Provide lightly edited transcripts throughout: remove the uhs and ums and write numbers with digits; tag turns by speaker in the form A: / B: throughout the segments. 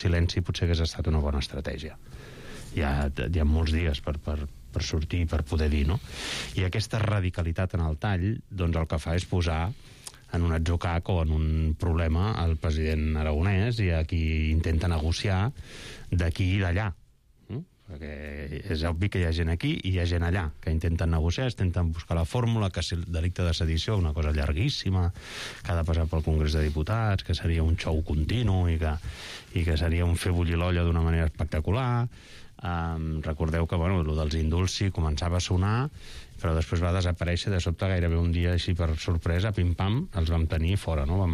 A: silenci potser hagués estat una bona estratègia. Hi ha molts dies per sortir, per poder dir, no? I aquesta radicalitat en el tall, doncs el que fa és posar en un atzucac o en un problema al president aragonès i a qui intenta negociar d'aquí i d'allà. Perquè és obvi que hi ha gent aquí i hi ha gent allà que intenten negociar, intenten buscar la fórmula, que si el delicte de sedició, una cosa llarguíssima, que ha de passar pel Congrés de Diputats, que seria un xou continu i que seria un fer bullir l'olla d'una manera espectacular. Recordeu que el dels indults sí començava a sonar, però després va desaparèixer de sobte, gairebé un dia així per sorpresa, pim-pam, els vam tenir fora, no?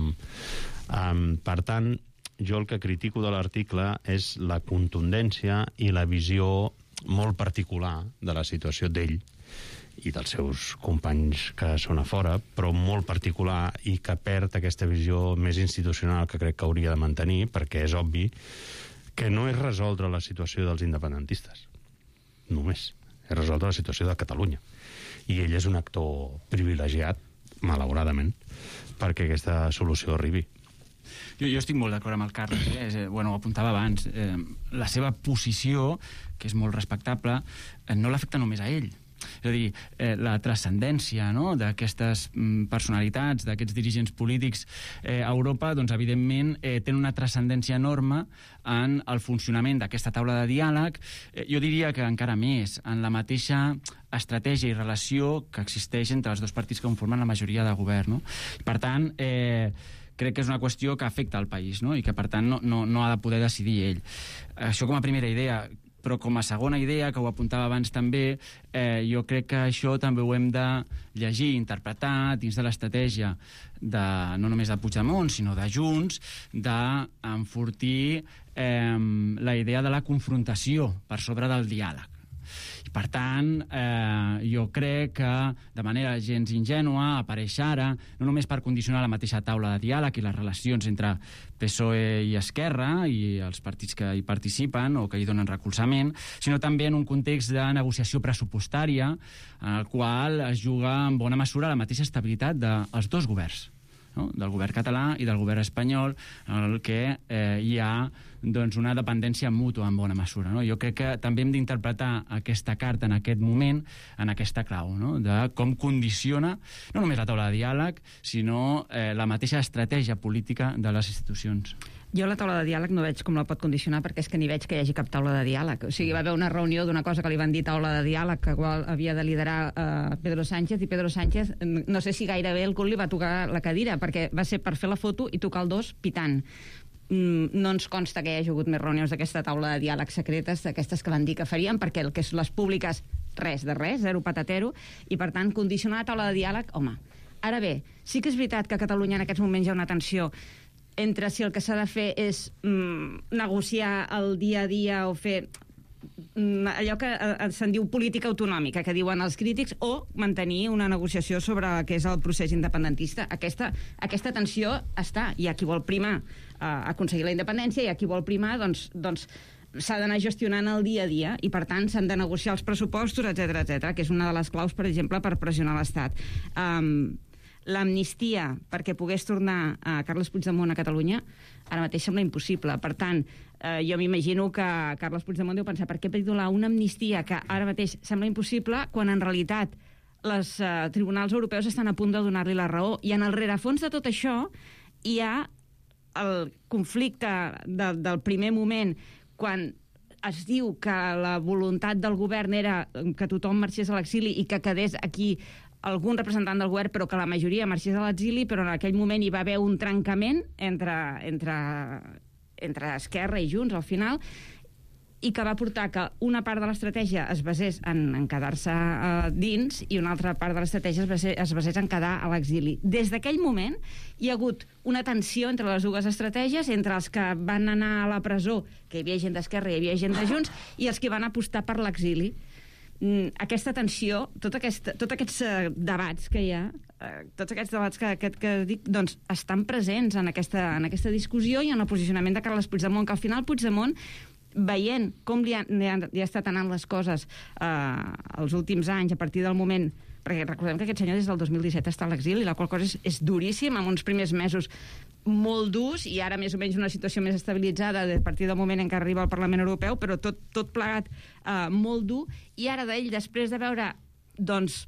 A: Per tant, jo el que critico de l'article és la contundència i la visió molt particular de la situació d'ell i dels seus companys que són a fora, però molt particular, i que perd aquesta visió més institucional que crec que hauria de mantenir, perquè és obvi que no és resoldre la situació dels independentistes, només. És resoldre la situació de Catalunya. I ell és un actor privilegiat, malauradament, perquè aquesta solució arribi.
B: Jo estic molt d'acord amb el Carles, ho apuntava abans. La seva posició, que és molt respectable, no l'afecta només a ell. És a dir, la transcendència, no?, d'aquestes personalitats, d'aquests dirigents polítics a Europa, doncs evidentment tenen una transcendència enorme en el funcionament d'aquesta taula de diàleg. Jo diria que encara més, en la mateixa estratègia i relació que existeix entre els dos partits que conformen la majoria de govern, no? Per tant, crec que és una qüestió que afecta al país, no?, i que per tant no ha de poder decidir ell. Això com a primera idea. Però com a segona idea, que ho apuntava abans també, jo crec que això també ho hem de llegir, interpretar dins de l'estratègia no només de Puigdemont, sinó de Junts, d'enfortir la idea de la confrontació per sobre del diàleg. I per tant, jo crec que de manera gens ingènua apareix ara, no només per condicionar la mateixa taula de diàleg i les relacions entre PSOE i Esquerra i els partits que hi participen o que hi donen recolzament, sinó també en un context de negociació pressupostària en el qual es juga en bona mesura la mateixa estabilitat dels dos governs, no?, del govern català i del govern espanyol, en el que hi ha doncs, una dependència mútua en bona mesura, no? Jo crec que també hem d'interpretar aquesta carta en aquest moment en aquesta clau, no?, de com condiciona no només la taula de diàleg, sinó la mateixa estratègia política de les institucions.
C: Jo la taula de diàleg no veig com la pot condicionar, perquè és que ni veig que hi hagi cap taula de diàleg. O sigui, va haver una reunió d'una cosa que li van dir taula de diàleg, que havia de liderar Pedro Sánchez, i Pedro Sánchez, no sé si gairebé el cul li va tocar la cadira, perquè va ser per fer la foto i tocar el dos pitant. No ens consta que hi hagi hagut més reunions d'aquesta taula de diàleg secretes, d'aquestes que van dir que farien, perquè el que és les públiques, res de res, zero patatero, i per tant condicionar la taula de diàleg, home. Ara bé, sí que és veritat que a Catalunya en aquests moments hi ha una tensió entre si el que s'ha de fer és negociar el dia a dia o fer allò que se'n diu política autonòmica, que diuen els crítics, o mantenir una negociació sobre què és el procés independentista. Aquesta tensió està. Hi ha qui vol primar aconseguir la independència, i hi ha qui vol primar, doncs s'ha d'anar gestionant el dia a dia, i per tant s'han de negociar els pressupostos, etc, que és una de les claus, per exemple, per pressionar l'Estat. L'amnistia perquè pogués tornar a Carles Puigdemont a Catalunya ara mateix sembla impossible. Per tant, jo m'imagino que Carles Puigdemont deu pensar, per què donar una amnistia que ara mateix sembla impossible quan en realitat els tribunals europeus estan a punt de donar-li la raó? I en el rerefons de tot això hi ha el conflicte del primer moment, quan es diu que la voluntat del govern era que tothom marxés a l'exili i que quedés aquí algun representant del govern, però que la majoria marxés a l'exili, però en aquell moment hi va haver un trencament entre Esquerra i Junts al final, i que va portar que una part de l'estratègia es basés en quedar-se dins i una altra part de l'estratègia es basés en quedar a l'exili. Des d'aquell moment hi ha hagut una tensió entre les dues estratègies, entre els que van anar a la presó, que hi havia gent d'Esquerra i hi havia gent de Junts, i els que van apostar per l'exili. Aquesta tensió, tots aquests debats que hi ha, tots aquests debats que dic, doncs estan presents en aquesta discussió i en el posicionament de Carles Puigdemont, que al final Puigdemont, veient com li ha estat anant les coses els últims anys, a partir del moment perquè recordem que aquest senyor des del 2017 està a l'exili, la qual cosa és duríssim, amb uns primers mesos molt durs, i ara més o menys una situació més estabilitzada a partir del moment en què arriba al Parlament Europeu, però tot plegat molt dur, i ara d'ell, després de veure, doncs,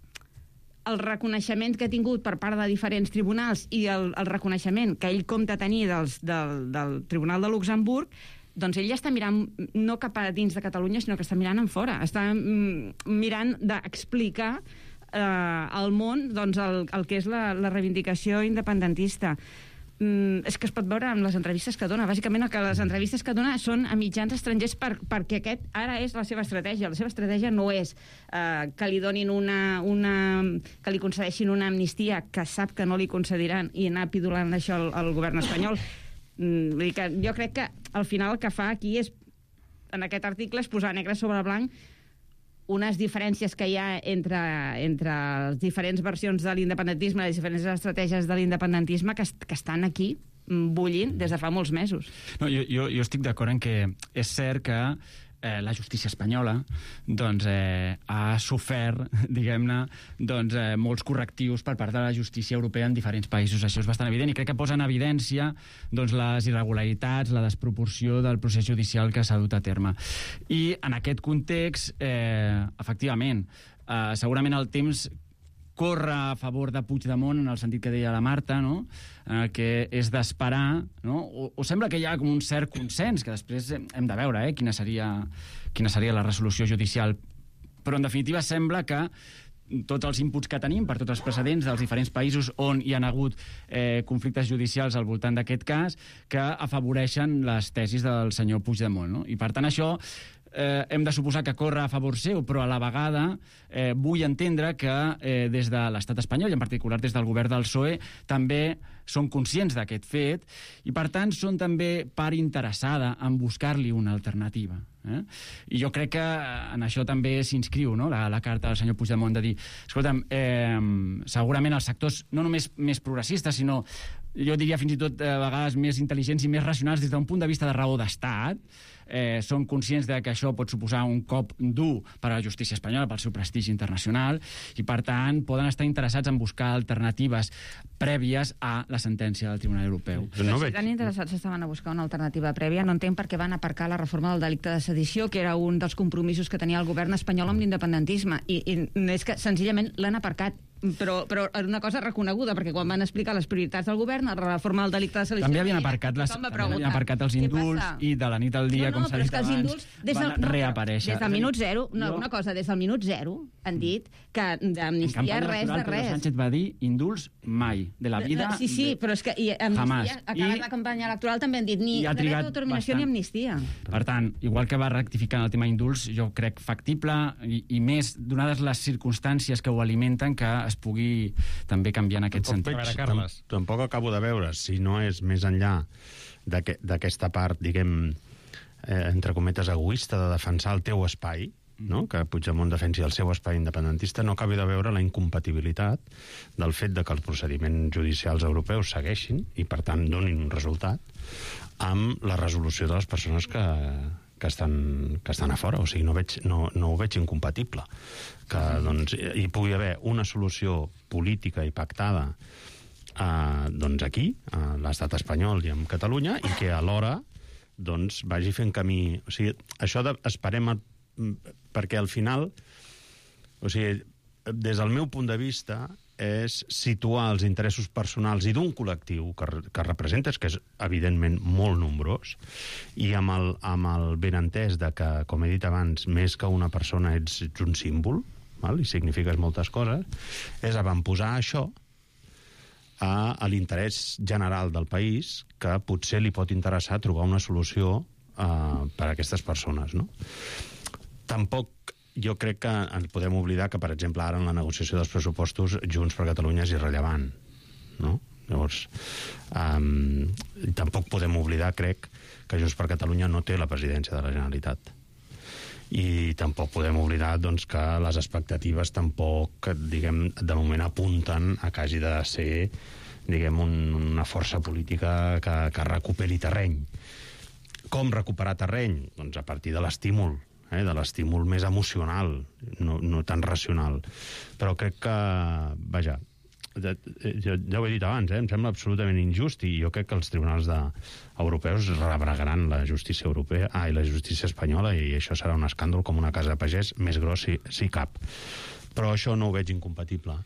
C: el reconeixement que ha tingut per part de diferents tribunals i el reconeixement que ell compta tenir del Tribunal de Luxemburg, doncs ell ja està mirant no cap a dins de Catalunya, sinó que està mirant en fora. Està mirant d'explicar al món doncs, el que és la reivindicació independentista. És que es pot veure amb les entrevistes que dona. Bàsicament, que les entrevistes que dona són a mitjans estrangers perquè aquest ara és la seva estratègia. La seva estratègia no és que li donin que li concedeixin una amnistia que sap que no li concediran i anar pidolant això al govern espanyol. Vull dir que jo crec que al final el que fa aquí és, en aquest article, és posar negre sobre blanc unes diferències que hi ha entre les diferents versions de l'independentisme, les diferents estratègies de l'independentisme que estan aquí bullint des de fa molts mesos.
B: No, jo estic d'acord en que és cert que la justícia espanyola doncs, ha sofert, diguem-ne, doncs, molts correctius per part de la justícia europea en diferents països. Això és bastant evident i crec que posa en evidència doncs, les irregularitats, la desproporció del procés judicial que s'ha dut a terme. I en aquest context, efectivament, segurament el temps corre a favor de Puigdemont, en el sentit que deia la Marta, no? Que és d'esperar, no? O sembla que hi ha com un cert consens, que després hem de veure quina seria la resolució judicial, però en definitiva sembla que tots els inputs que tenim per tots els precedents dels diferents països on hi ha hagut conflictes judicials al voltant d'aquest cas que afavoreixen les tesis del senyor Puigdemont, no? I per tant això hem de suposar que corre a favor seu, però a la vegada vull entendre que des de l'estat espanyol, i en particular des del govern del PSOE, també són conscients d'aquest fet i, per tant, són també part interessada en buscar-li una alternativa. I jo crec que en això també s'inscriu, no? la carta del senyor Puigdemont de dir, escolta'm, segurament els sectors no només més progressistes, sinó jo diria fins i tot a vegades més intel·ligents i més racionals des d'un punt de vista de raó d'estat, són conscients de que això pot suposar un cop dur per a la justícia espanyola, pel seu prestigi internacional, i per tant poden estar interessats en buscar alternatives prèvies a la sentència del Tribunal Europeu.
C: No si tan interessats estaven a buscar una alternativa prèvia, no entenc per què van aparcar la reforma del delicte de sedició, que era un dels compromisos que tenia el govern espanyol amb l'independentisme, i és que senzillament l'han aparcat. Però era una cosa reconeguda, perquè quan van explicar les prioritats del govern, la reforma del delicte de sedició...
B: També havien aparcat els indults i de la nit al dia, com s'ha dit abans, van reaparèixer.
C: Des del minut zero, una cosa, des del minut zero han dit que d'amnistia res de res.
B: Pedro Sánchez va dir indults mai, de la vida...
C: Sí, però és que amnistia, acabat la campanya electoral, també han dit ni dret d'autodeterminació ni amnistia.
B: Per tant, igual que va rectificar en el tema indults, jo crec factible, i més, donades les circumstàncies que ho alimenten, que es pugui també canviar en aquest sentit.
A: Tampoc acabo de veure si no és més enllà d'aquesta part, diguem, entre cometes, egoista de defensar el teu espai, no? Que Puigdemont defensi el seu espai independentista, no acabi de veure la incompatibilitat del fet de que els procediments judicials europeus segueixin i, per tant, donin un resultat amb la resolució de les persones que estan a fora. O sigui, no ho veig incompatible. Que doncs, hi pugui haver una solució política i pactada doncs aquí, a l'estat espanyol i en Catalunya, i que alhora doncs, vagi fent camí. O sigui, això esperem perquè al final, o sigui, des del meu punt de vista, és situar els interessos personals i d'un col·lectiu que representes, que és evidentment molt nombrós, i amb el benentès de que, com he dit abans, més que una persona ets un símbol, val? I signifiques moltes coses, és avantposar això a l'interès general del país, que potser li pot interessar trobar una solució per a aquestes persones, no? Tampoc jo crec que ens podem oblidar que, per exemple, ara en la negociació dels pressupostos Junts per Catalunya és irrellevant, no? Llavors, tampoc podem oblidar, crec, que Junts per Catalunya no té la presidència de la Generalitat. I tampoc podem oblidar, doncs, que les expectatives tampoc, diguem, de moment apunten a que hagi de ser, diguem, una força política que recuperi terreny. Com recuperar terreny? Doncs a partir de l'estímul. de l'estímul més emocional, no tan racional. Però crec que, vaja, ja ho he dit abans, em sembla absolutament injust, i jo crec que els tribunals europeus rebregaran la justícia europea i la justícia espanyola, i això serà un escàndol com una casa de pagès més gros si cap. Però això no ho veig incompatible.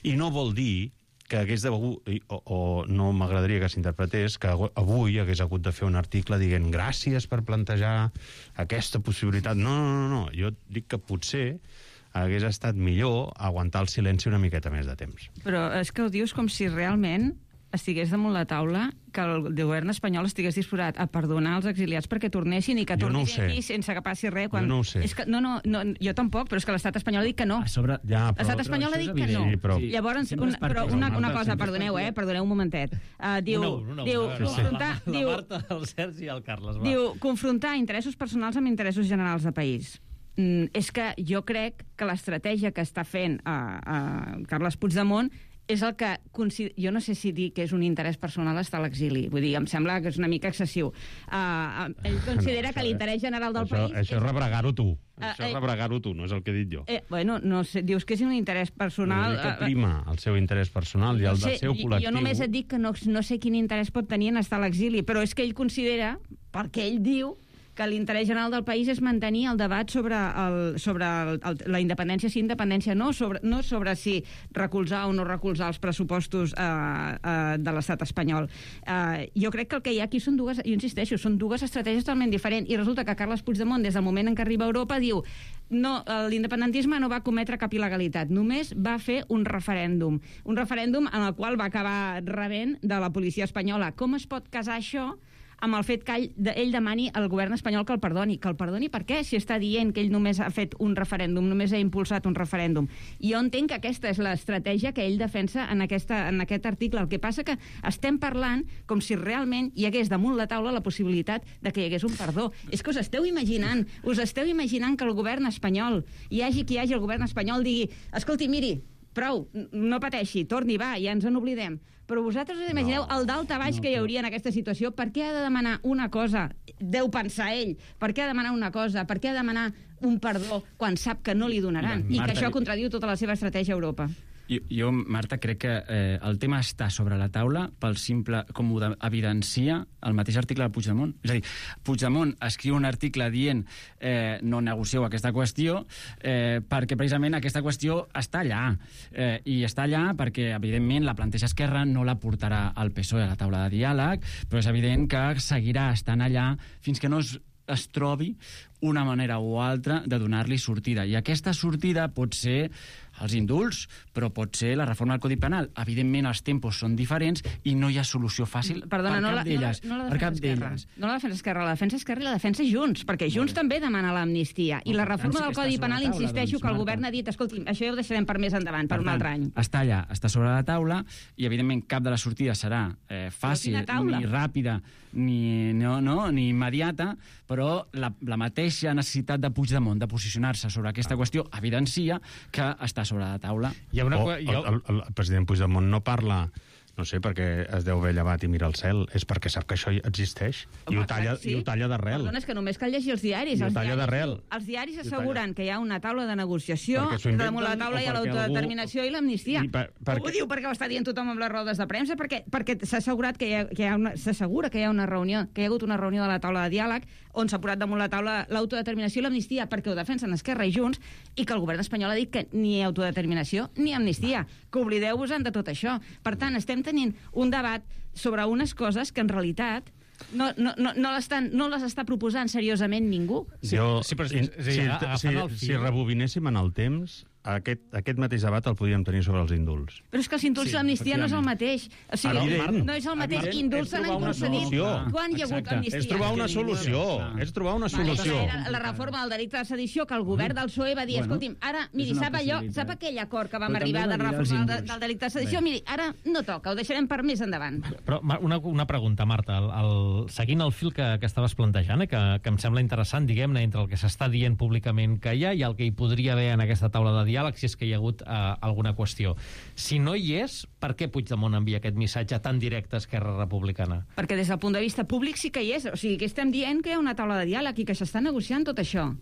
A: I no vol dir que hagués de... o no m'agradaria que s'interpretés que avui hagués hagut de fer un article dient gràcies per plantejar aquesta possibilitat. No. Jo dic que potser hagués estat millor aguantar el silenci una miqueta més de temps.
C: Però és que ho dius com si realment estigués damunt la taula que el govern espanyol estigués disposat a perdonar els exiliats perquè tornessin i que tornessin aquí sense que passi res.
A: Jo no ho sé.
C: És que, no, jo tampoc, però és que l'estat espanyol ha dit que no. L'estat espanyol ha dit que no.
A: Sí, però...
C: Llavors, una cosa, perdoneu un momentet. Diu, confrontar...
D: La Marta, el Sergi i el Carles.
C: Diu, confrontar interessos personals amb interessos generals de país. És que jo crec que l'estratègia que està fent Carles Puigdemont és el que... Jo no sé si dir que és un interès personal estar a l'exili. Vull dir, em sembla que és una mica excessiu. Ell considera que l'interès general del país...
A: Això és rebregar-ho tu. Això és rebregar-ho tu, no és el que he dit jo.
C: Bueno, no sé, dius que és un interès personal...
A: Que prima el seu interès personal i el del seu col·lectiu.
C: Jo només et dic que no sé quin interès pot tenir en estar a l'exili, però és que ell considera, perquè ell diu, que l'interès general del país és mantenir el debat sobre la independència, sí, independència no sobre si recolzar o no recolzar els pressupostos de l'estat espanyol. Jo crec que el que hi ha aquí són dues, jo insisteixo, són dues estratègies totalment diferents, i resulta que Carles Puigdemont, des del moment en què arriba a Europa, diu no, l'independentisme no va cometre cap il·legalitat, només va fer un referèndum en el qual va acabar rebent de la policia espanyola. Com es pot casar això amb el fet que ell demani al govern espanyol que el perdoni? Que el perdoni per què? Si està dient que ell només ha fet un referèndum, només ha impulsat un referèndum. I jo entenc que aquesta és l'estratègia que ell defensa en aquest article. El que passa que estem parlant com si realment hi hagués damunt la taula la possibilitat de que hi hagués un perdó. És que us esteu imaginant que el govern espanyol, hi hagi qui hi hagi el govern espanyol, digui, escolti, miri, prou, no pateixi, torni, va, ja ens en oblidem. Però vosaltres us imagineu el daltabaix que hi hauria en aquesta situació? Per què ha de demanar una cosa? Deu pensar ell. Per què ha de demanar una cosa? Per què ha de demanar un perdó quan sap que no li donaran? I que això contradiu tota la seva estratègia a Europa.
B: Jo, Marta, crec que el tema està sobre la taula pel simple, com ho evidencia el mateix article de Puigdemont. És a dir, Puigdemont escriu un article dient no negocieu aquesta qüestió perquè precisament aquesta qüestió està allà. I està allà perquè, evidentment, la planteja Esquerra, no la portarà al PSOE a la taula de diàleg, però és evident que seguirà estant allà fins que no es trobi una manera o altra de donar-li sortida. I aquesta sortida pot ser els indults, però pot ser la reforma del Codi Penal. Evidentment, els tempos són diferents i no hi ha solució fàcil per cap d'elles.
C: No la defensa Esquerra, la defensa Esquerra i la defensa Junts, perquè Junts també demana l'amnistia. I la reforma del Codi Penal, insisteixo, que el govern ha dit, escolti, això ja ho deixarem per més endavant, per un altre any.
B: Està allà, està sobre la taula, i evidentment cap de les sortides serà fàcil, ni ràpida, ni immediata, però la mateixa necessitat de Puigdemont de posicionar-se sobre aquesta qüestió evidencia que està sobre la taula.
A: El president Puigdemont no parla, no sé, perquè es deu haver llevat i mira el cel, és perquè sap que això existeix. I ho talla d'arrel.
C: Perdona, és que només cal llegir els diaris.
A: I ho talla d'arrel.
C: Els diaris asseguren que hi ha una taula de neguració, damunt la taula hi ha l'autodeterminació i l'amnistia. Ho diu perquè ho està dient tothom amb les rodes de premsa, perquè s'ha assegurat que s'assegura que hi ha una reunió, que hi ha hagut una reunió de la taula de diàleg on s'ha posat damunt la taula l'autodeterminació i l'amnistia, perquè ho defensen Esquerra i Junts, i que el govern espanyol ha dit que ni autodeterminació ni amnistia, que oblideu-vos-en de tot això. Per tant, estem tenint un debat sobre unes coses que en realitat no les està proposant seriosament ningú.
A: Si rebobinéssim en el temps, aquest mateix debat el podíem tenir sobre els indults.
C: Però és que els indults i l'amnistia no és el mateix. O sigui, no és el mateix. Indults se n'han concedit. Quan hi ha hagut amnistia?
A: És trobar una solució. La
C: reforma del delicte de sedició, que el govern del PSOE va dir, escolti'm, ara, miri, sap aquell acord que vam arribar de reforma del delicte de sedició? Miri, ara no toca, ho deixarem per més endavant.
D: Però una pregunta, Marta, seguint el fil que estaves plantejant, que em sembla interessant, diguem-ne, entre el que s'està dient públicament que hi ha i el que hi podria haver en aquesta taula de diàleg, si és que hi ha hagut alguna qüestió. Si no hi és, per què Puigdemont envia aquest missatge tan directe a Esquerra Republicana?
C: Perquè des del punt de vista públic sí que hi és. O sigui, que estem dient que hi ha una taula de diàleg i que s'està negociant tot això.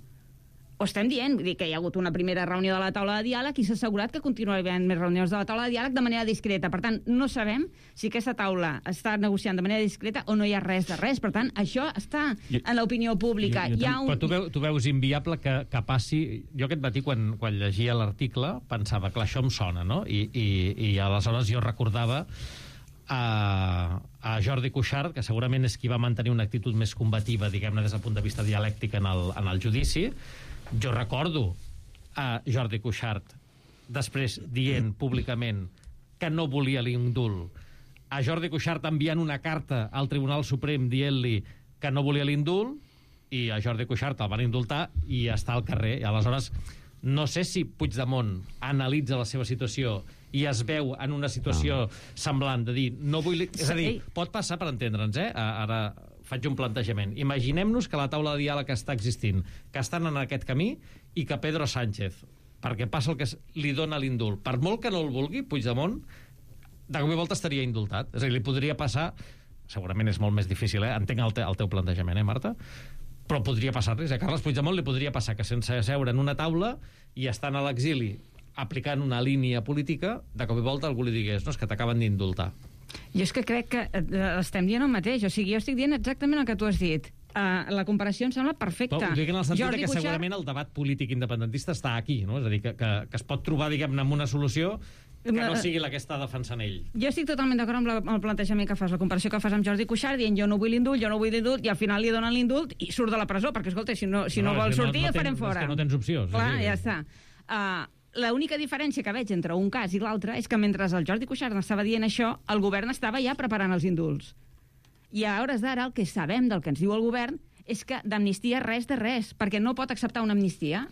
C: ho estem dient, vull dir que hi ha hagut una primera reunió de la taula de diàleg i s'ha assegurat que continuarà havent més reunions de la taula de diàleg de manera discreta. Per tant, no sabem si aquesta taula està negociant de manera discreta o no hi ha res de res. Per tant, això està en l'opinió pública.
D: Però tu veus inviable que passi... Jo aquest matí, quan llegia l'article, pensava, clar, això em sona, no? I aleshores jo recordava a Jordi Cuixart, que segurament és qui va mantenir una actitud més combativa, diguem-ne, des del punt de vista dialèctic en el judici. Jo recordo a Jordi Cuixart després dient públicament que no volia l'indult, a Jordi Cuixart enviant una carta al Tribunal Suprem dient-li que no volia l'indult, i a Jordi Cuixart el van indultar i està al carrer. I aleshores no sé si Puigdemont analitza la seva situació i es veu en una situació semblant de dir, no vull... És a dir, pot passar, per entendre'ns, ara faig un plantejament. Imaginem-nos que la taula de diàleg està existint, que estan en aquest camí i que Pedro Sánchez, perquè passa el que li dona l'indult, per molt que no el vulgui, Puigdemont, de cop i volta estaria indultat. És a dir, li podria passar... Segurament és molt més difícil, entenc el teu plantejament, Marta? Però podria passar-li. A Carles Puigdemont li podria passar que sense seure en una taula i estant a l'exili aplicant una línia política, de cop i volta algú li digués, no, és que t'acaben d'indultar.
C: Jo és que crec que estem dient el mateix. O sigui, jo estic dient exactament el que tu has dit. La comparació em sembla perfecta.
D: Però ho dic en el sentit que segurament el debat polític independentista està aquí, no? És a dir, que es pot trobar, diguem-ne, amb una solució que no sigui la que està defensant ell.
C: Jo estic totalment d'acord amb el plantejament que fas, la comparació que fas amb Jordi Cuixart, dient jo no vull l'indult, i al final li donen l'indult i surt de la presó, perquè, escolta, si no vol sortir, el farem fora.
D: És que no tens opció.
C: Clar, ja està. L'única diferència que veig entre un cas i l'altre és que mentre el Jordi Cuixart estava dient això, el govern estava ja preparant els indults. I a hores d'ara el que sabem del que ens diu el govern és que d'amnistia res de res, perquè no pot acceptar una amnistia,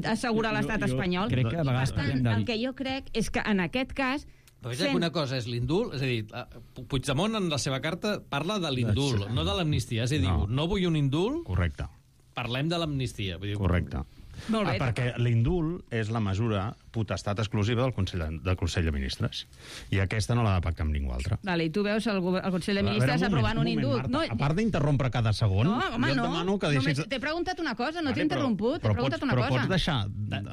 C: assegurar l'estat espanyol.
B: Crec que a vegades
C: el que jo crec és que en aquest cas...
D: Però és que una cosa és l'indult, és a dir, Puigdemont en la seva carta parla de l'indult, no de l'amnistia, és a dir, no vull un indult,
A: correcte,
D: parlem de l'amnistia.
A: Correcte.
C: Molt bé.
A: Perquè l'indult és la mesura potestat exclusiva del Consell de Ministres. I aquesta no l'ha de pactar amb ningú altre.
C: Vale, i tu veus el Consell de Ministres aprovant un indult.
A: Marta, a part d'interrompre cada segon,
C: home,
A: jo et demano que deixis...
C: T'he preguntat una cosa, no t'he interromput. T'he preguntat una cosa.
A: Però pots deixar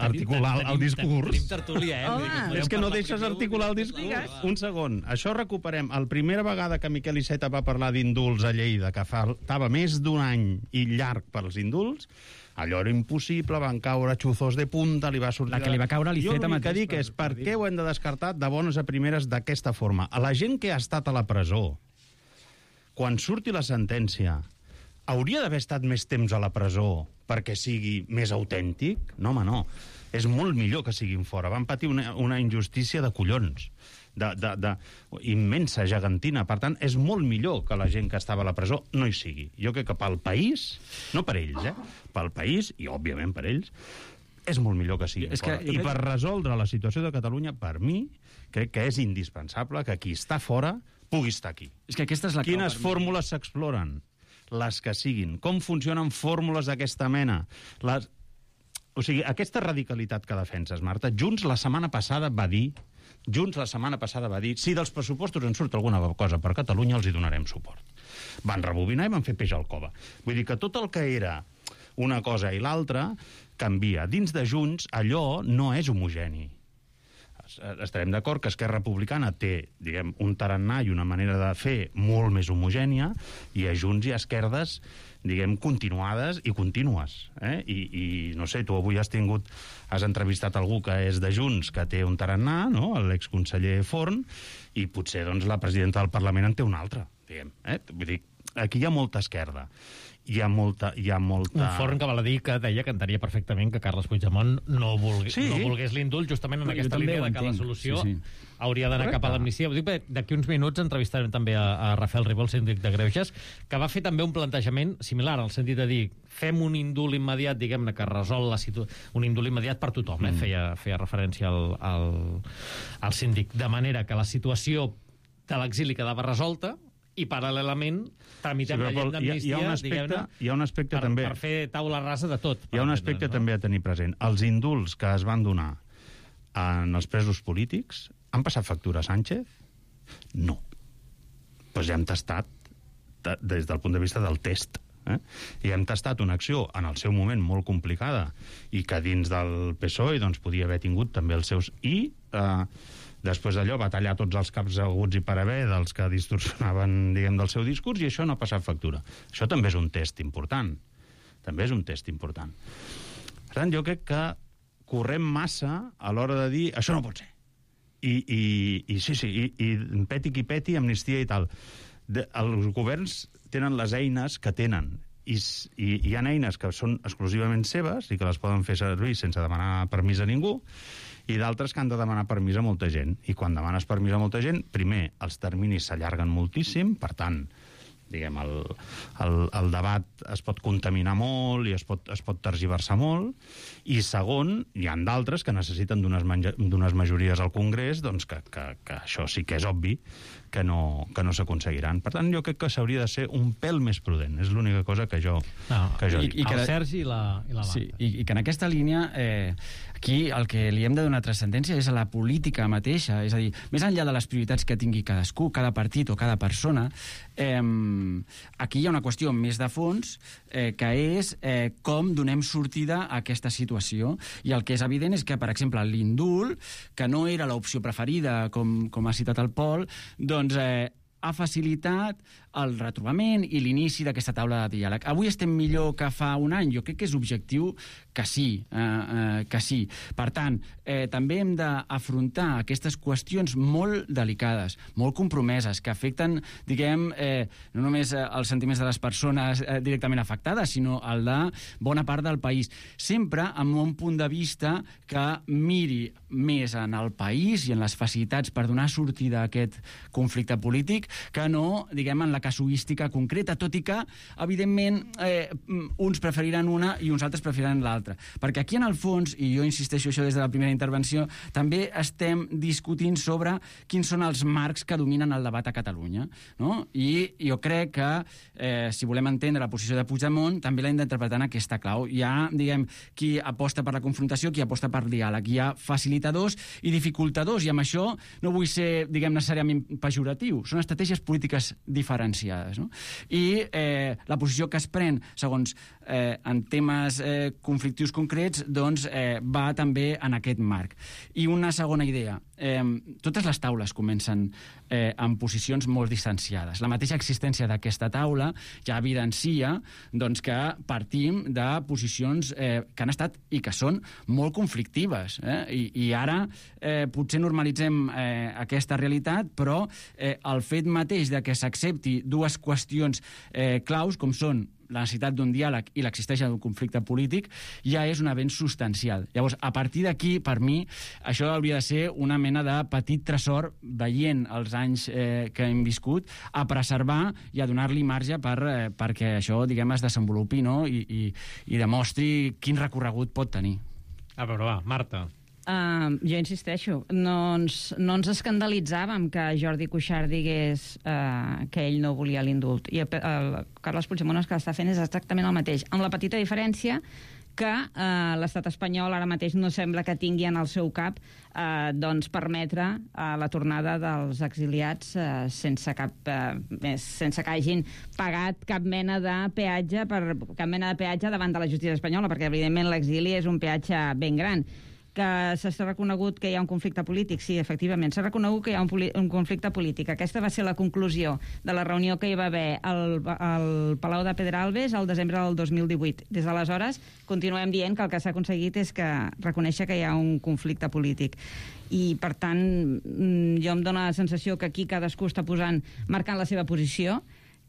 A: articular el discurs?
D: Tenim tertúlia,
A: És que no deixes articular el discurs. Un segon. Això recuperem. La primera vegada que Miquel Iceta va parlar d'indults a Lleida, que faltava més d'un any i llarg pels indults, allò era impossible, van caure xuzos de punta, li va sortir...
B: La que li va caure a l'Iceta mateix.
A: Jo l'únic que dic és per què ho hem de descartar de bones a primeres d'aquesta forma. A la gent que ha estat a la presó, quan surti la sentència, hauria d'haver estat més temps a la presó perquè sigui més autèntic? No, home, no. És molt millor que siguin fora. Van patir una injustícia de collons, immensa, gegantina. Per tant, és molt millor que la gent que estava a la presó no hi sigui. Jo crec que pel país, no per ells, pel país, i òbviament per ells, és molt millor que siguin fora. I per resoldre la situació de Catalunya, per mi, crec que és indispensable que qui està fora pugui estar aquí.
B: És que aquesta és la
A: Quines fórmules s'exploren? Les que siguin. Com funcionen fórmules d'aquesta mena? O sigui, aquesta radicalitat que defenses, Marta, Junts la setmana passada va dir si dels pressupostos en surt alguna cosa per Catalunya els hi donarem suport. Van rebobinar i van fer peix al cova. Vull dir que tot el que era una cosa i l'altra canvia. Dins de Junts allò no és homogeni. Estarem d'acord que Esquerra Republicana té, diguem, un tarannà i una manera de fer molt més homogènia, i a Junts i a Esquerdes, diguem, continuades i contínues. I no sé, tu avui has entrevistat algú que és de Junts, que té un tarannà, no?, l'exconseller Forn, i potser doncs, la presidenta del Parlament en té un altre, diguem. Vull dir, aquí hi ha molta esquerda. Hi ha molta...
D: Un Forn que val a dir que deia que entenia perfectament que Carles Puigdemont no volgués l'indult, justament en aquesta línia de que la solució hauria d'anar cap a l'amnistia. D'aquí uns minuts entrevistarem també a Rafael Ribó, el síndic de Greuges, que va fer també un plantejament similar, al sentit de dir, fem un indult immediat, diguem-ne, que resol la situació, un indult immediat per tothom, feia referència al síndic, de manera que la situació de l'exili quedava resolta, i paral·lelament tramitem la llei d'amnistia, diguem-ne,
A: hi ha un aspecte també,
D: per fer taula rasa de tot.
A: Hi ha un aspecte també a tenir present. Els indults que es van donar en els presos polítics han passat factura a Sánchez? No. Doncs ja hem tastat des del punt de vista del test I hem tastat una acció en el seu moment molt complicada i que dins del PSOE doncs, podia haver tingut també els seus... I després d'allò va tallar tots els caps aguts i per haver dels que distorsionaven, diguem, del seu discurs, i això no ha passat factura. Això també és un test important. També és un test important. Per tant, jo crec que correm massa a l'hora de dir això no pot ser. I peti qui peti, amnistia i tal. Els governs tenen les eines que tenen, i hi ha eines que són exclusivament seves i que les poden fer servir sense demanar permís a ningú, i d'altres que han de demanar permís a molta gent. I quan demanes permís a molta gent, primer, els terminis s'allarguen moltíssim, per tant, diguem, el debat es pot contaminar molt i es pot tergiversar molt, i segon, hi ha d'altres que necessiten d'unes majories al Congrés, doncs que això sí que és obvi que no s'aconseguiran. Per tant, jo crec que s'hauria de ser un pèl més prudent. És l'única cosa que jo dic.
D: El Sergi i la Marta.
B: Sí, i que en aquesta línia, aquí el que li hem de donar transcendència és a la política mateixa, és a dir, més enllà de les prioritats que tingui cadascú, cada partit o cada persona, aquí hi ha una qüestió més de fons, que és com donem sortida a aquesta situació. I el que és evident és que, per exemple, l'indult, que no era l'opció preferida, com ha citat el Pol, doncs ha facilitat el retrobament i l'inici d'aquesta taula de diàleg. Avui estem millor que fa un any? Jo crec que és objectiu que sí. Per tant, també hem d'afrontar aquestes qüestions molt delicades, molt compromeses, que afecten, diguem, no només els sentiments de les persones directament afectades, sinó el de bona part del país. Sempre amb un punt de vista que miri més en el país i en les facilitats per donar sortida a aquest conflicte polític que no, diguem, en la casuística concreta, tot i que, evidentment, uns preferiran una i uns altres preferiran l'altra. Perquè aquí, en el fons, i jo insisteixo això des de la primera intervenció, també estem discutint sobre quins són els marcs que dominen el debat a Catalunya, no? I jo crec que, si volem entendre la posició de Puigdemont, també l'hem d'interpretar en aquesta clau. Hi ha, diguem, qui aposta per la confrontació, qui aposta per diàleg. Hi ha facilitadors i dificultadors, i amb això no vull ser, diguem, necessàriament pejoratiu. Són estratègies polítiques diferenciades, no? I la posició que es pren, segons en temes conflictius concrets, doncs va també en aquest marc. I una segona idea. Totes les taules comencen amb posicions molt distanciades. La mateixa existència d'aquesta taula ja evidencia doncs, que partim de posicions que han estat i que són molt conflictives. I ara potser normalitzem aquesta realitat, però el fet mateix de que s'accepti dues qüestions claus, com són la necessitat d'un diàleg i l'existència d'un conflicte polític, ja és un avenç substancial. Llavors, a partir d'aquí, per mi, això hauria de ser una mena de petit tresor, veient els anys que hem viscut, a preservar i a donar-li marge perquè això, diguem, es desenvolupi, no? I demostri quin recorregut pot tenir.
D: A veure, va, Marta.
C: Jo insisteixo, no ens escandalitzàvem que Jordi Cuixart digués que ell no volia l'indult. I el Carles Puigdemont el que està fent és exactament el mateix, amb la petita diferència que l'estat espanyol ara mateix no sembla que tingui en el seu cap doncs permetre la tornada dels exiliats sense que hagin pagat cap mena de peatge davant de la justícia espanyola, perquè evidentment l'exili és un peatge ben gran. Que s'ha reconegut que hi ha un conflicte polític. Sí, efectivament, s'ha reconegut que hi ha un conflicte polític. Aquesta va ser la conclusió de la reunió que hi va haver al Palau de Pedralbes al desembre del 2018. Des d'aleshores continuem dient que el que s'ha aconseguit és que reconèixer que hi ha un conflicte polític. I, per tant, jo em dóna la sensació que aquí cadascú està marcant la seva posició,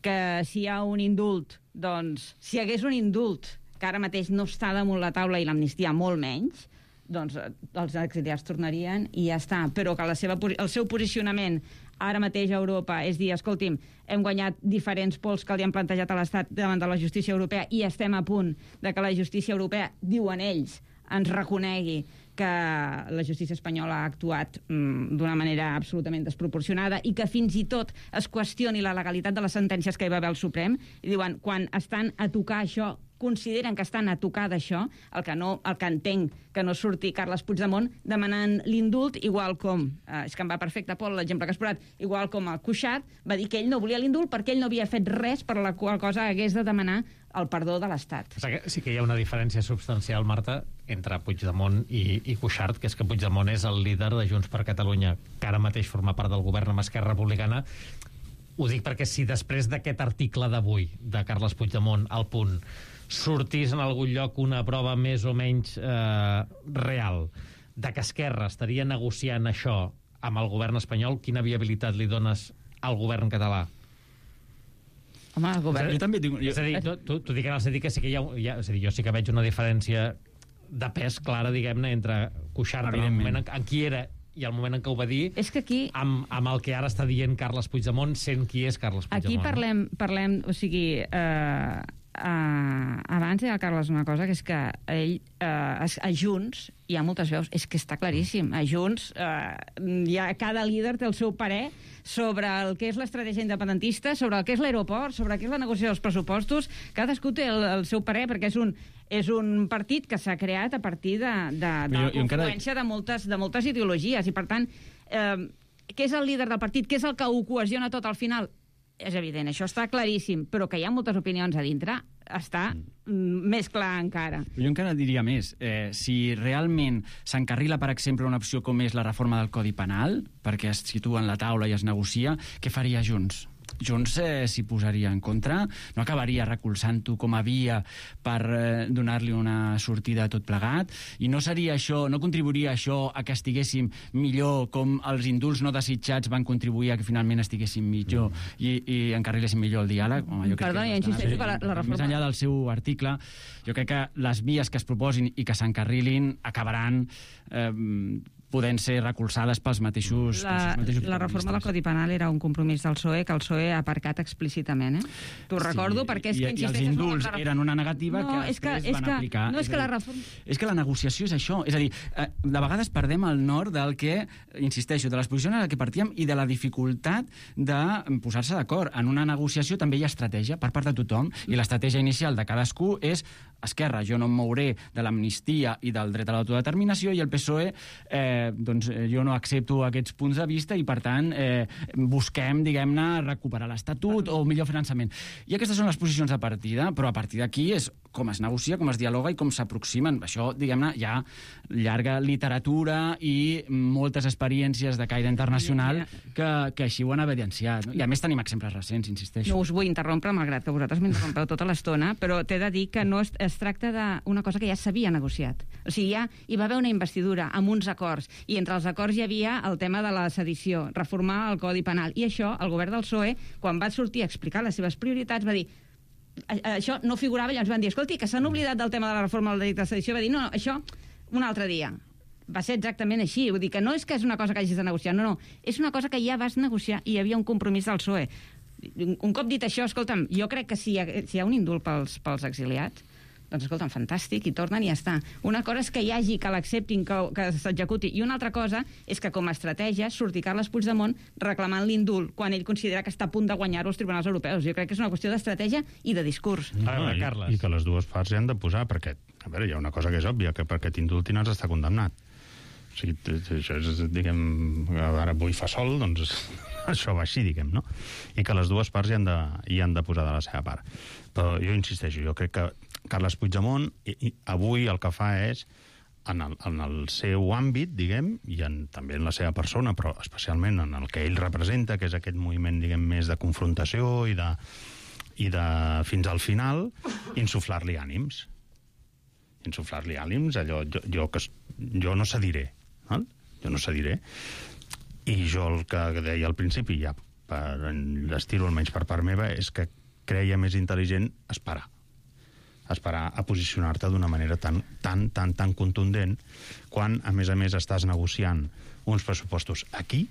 C: que si hi ha un indult, doncs, si hi hagués un indult que ara mateix no està damunt la taula i l'amnistia molt menys, doncs els exiliats tornarien i ja està. Però que el seu posicionament ara mateix a Europa és dir, escolti'm, hem guanyat diferents pols que li han plantejat a l'Estat davant de la justícia europea i estem a punt de que la justícia europea, diuen ells, ens reconegui que la justícia espanyola ha actuat d'una manera absolutament desproporcionada i que fins i tot es qüestioni la legalitat de les sentències que hi va haver al Suprem. I diuen, quan estan a tocar això, consideren que estan a tocar d'això, el que entenc que no surti Carles Puigdemont demanant l'indult, igual com, és que em va perfecte, Pol, l'exemple que has posat, igual com el Cuixart va dir que ell no volia l'indult perquè ell no havia fet res per la qual cosa hagués de demanar el perdó de l'Estat.
D: Sí que hi ha una diferència substancial, Marta, entre Puigdemont i Cuixart, que és que Puigdemont és el líder de Junts per Catalunya, que ara mateix forma part del govern amb Esquerra Republicana. Ho dic perquè si després d'aquest article d'avui de Carles Puigdemont al Punt sortís en algun lloc una prova més o menys real de que Esquerra estaria negociant això amb el govern espanyol, quina viabilitat li dones al govern català?
C: Home, el govern...
B: Jo també tinc...
D: És a dir, t'ho dic en el sentit que sí que hi ha és a dir, jo sí que veig una diferència de pes clara, diguem-ne, entre Cuixart en el moment en qui era i el moment en què ho va dir,
C: és que aquí...
D: amb el que ara està dient Carles Puigdemont, sent qui és Carles Puigdemont.
C: Aquí parlem o sigui, abans deia el Carles una cosa, que és que ell, a Junts, hi ha moltes veus, és que està claríssim, a Junts cada líder té el seu parer sobre el que és l'estratègia independentista, sobre el que és l'aeroport, sobre el que és la negociació dels pressupostos, cadascú té el seu parer, perquè és un partit que s'ha creat a partir de la confluència de moltes ideologies, i per tant, què és el líder del partit, què és el que ho cohesiona tot al final? És evident, això està claríssim, però que hi ha moltes opinions a dintre està més clar encara.
B: Jo encara diria més. Si realment s'encarrila, per exemple, una opció com és la reforma del Codi Penal, perquè es situa en la taula i es negocia, què faria Junts? Junts s'hi posaria en contra, no acabaria recolzant-ho com a via per donar-li una sortida a tot plegat, i no seria això, no contribuiria això a que estiguéssim millor, com els indults no desitjats van contribuir a que finalment estiguéssim millor i encarriléssim millor el diàleg. Home,
C: perdó, ja insisteixo que la reforma...
B: Més enllà del seu article, jo crec que les vies que es proposin i que s'encarrilin acabaran podent ser recolzades pels mateixos...
C: La reforma del Codi Penal era un compromís del PSOE que el PSOE ha aparcat explícitament, T'ho recordo, perquè és que insisteixes...
B: I els indults eren una negativa que després van aplicar.
C: No, és que la reforma...
B: És que la negociació és això. És a dir, de vegades perdem el nord del que, insisteixo, de les posicions en què partíem i de la dificultat de posar-se d'acord. En una negociació també hi ha estratègia per part de tothom, i l'estratègia inicial de cadascú és Esquerra, jo no em mouré de l'amnistia i del dret a l'autodeterminació, i el PSOE doncs jo no accepto aquests punts de vista i, per tant, busquem, diguem-ne, recuperar l'Estatut o millor finançament. I aquestes són les posicions de partida, però a partir d'aquí és com es negocia, com es dialoga i com s'aproximen. Això, diguem-ne, hi ha llarga literatura i moltes experiències de caire internacional que així ho han evidenciat. I a més tenim exemples recents, insisteixo.
C: No us vull interrompre, malgrat que vosaltres m'interrompeu tota l'estona, però t'he de dir que no es tracta d'una cosa que ja s'havia negociat. O sigui, ja hi va haver una investidura amb uns acords, i entre els acords hi havia el tema de la sedició, reformar el Codi Penal. I això, el govern del PSOE, quan va sortir a explicar les seves prioritats, va dir això no figurava, i llavors van dir, escolti, que s'han oblidat del tema de la reforma del delicte de sedició, va dir, no, això un altre dia. Va ser exactament així, vull dir que no és que és una cosa que hagis de negociar, no, és una cosa que ja vas negociar i hi havia un compromís del PSOE. Un cop dit això, escolta'm, jo crec que si hi ha un indult pels exiliats, doncs escolta'm, fantàstic, i tornen i ja està. Una cosa és que hi hagi, que l'acceptin, que s'executi, i una altra cosa és que com a estratègia surti Carles Puigdemont reclamant l'indult quan ell considera que està a punt de guanyar-ho als tribunals europeus. Jo crec que és una qüestió d'estratègia i de discurs.
A: I que les dues parts hi han de posar, perquè, a veure, hi ha una cosa que és òbvia, que perquè t'indultin has d'estar condemnat. O sigui, això és, diguem, ara avui fa sol, doncs això va així, diguem, no? I que les dues parts hi han de posar de la seva part. Però jo insisteixo, jo crec que Carles Puigdemont avui el que fa és, en el seu àmbit, diguem, i també en la seva persona, però especialment en el que ell representa, que és aquest moviment, diguem, més de confrontació i de fins al final, insuflar-li ànims. Insuflar-li ànims, allò, jo no cediré, val? Jo no cediré. I jo el que deia al principi, ja per estir-ho almenys per part meva, és que creia més intel·ligent esperar a posicionar-te d'una manera tan contundent quan, a més, estàs negociant uns pressupostos aquí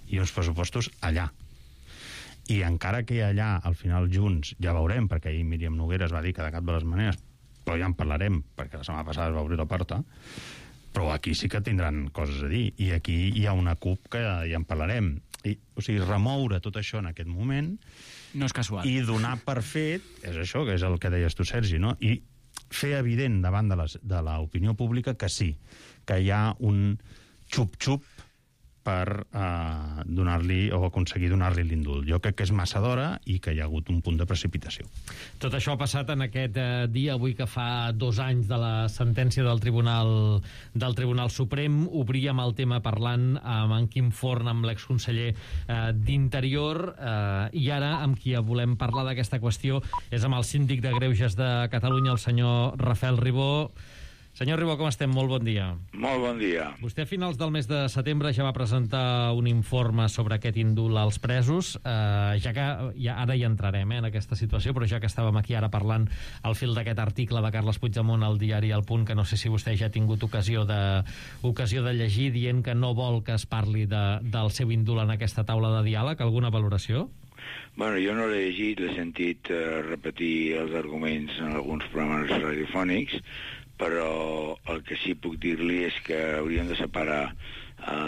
A: i uns pressupostos allà. I encara que allà, al final, Junts, ja veurem, perquè ahir Míriam Nogueras va dir que de cap de les maneres, però ja en parlarem, perquè la setmana passada es va obrir la porta, Però aquí sí que tindran coses a dir, i aquí hi ha una CUP que ja en parlarem. O sigui, remoure tot això en aquest moment...
B: No és casual.
A: I donar per fet, és això, que és el que deies tu, Sergi, no? I fer evident davant de l'opinió pública que sí, que hi ha un xup-xup per donar-li o aconseguir donar-li l'indult. Jo crec que és massa d'hora i que hi ha hagut un punt de precipitació.
D: Tot això ha passat en aquest dia, avui que fa 2 anys de la sentència del Tribunal Suprem. Obríem el tema parlant amb en Quim Forn, amb l'exconseller d'Interior, i ara amb qui volem parlar d'aquesta qüestió és amb el síndic de Greuges de Catalunya, el senyor Rafael Ribó. Senyor Ribó, com estem? Molt bon dia.
E: Molt bon dia.
D: Vostè a finals del mes de setembre ja va presentar un informe sobre aquest indult als presos, ja que ara hi entrarem en aquesta situació, però ja que estàvem aquí ara parlant al fil d'aquest article de Carles Puigdemont al diari El Punt, que no sé si vostè ja ha tingut ocasió de llegir, dient que no vol que es parli del seu indult en aquesta taula de diàleg. Alguna valoració?
E: Bueno, jo no l'he llegit, l'he sentit repetir els arguments en alguns programes radiofònics, però el que sí puc dir-li és que hauríem de separar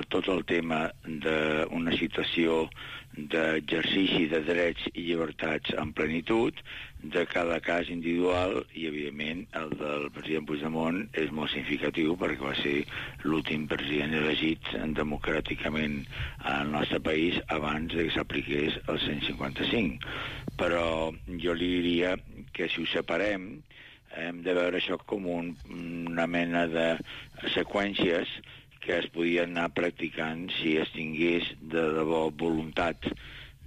E: tot el tema d'una situació d'exercici de drets i llibertats en plenitud de cada cas individual, i evidentment el del president Puigdemont és molt significatiu perquè va ser l'últim president elegit democràticament al nostre país abans que s'apliqués el 155. Però jo li diria que si ho separem hem de veure això com una mena de seqüències que es podien anar practicant si es tingués de debò voluntat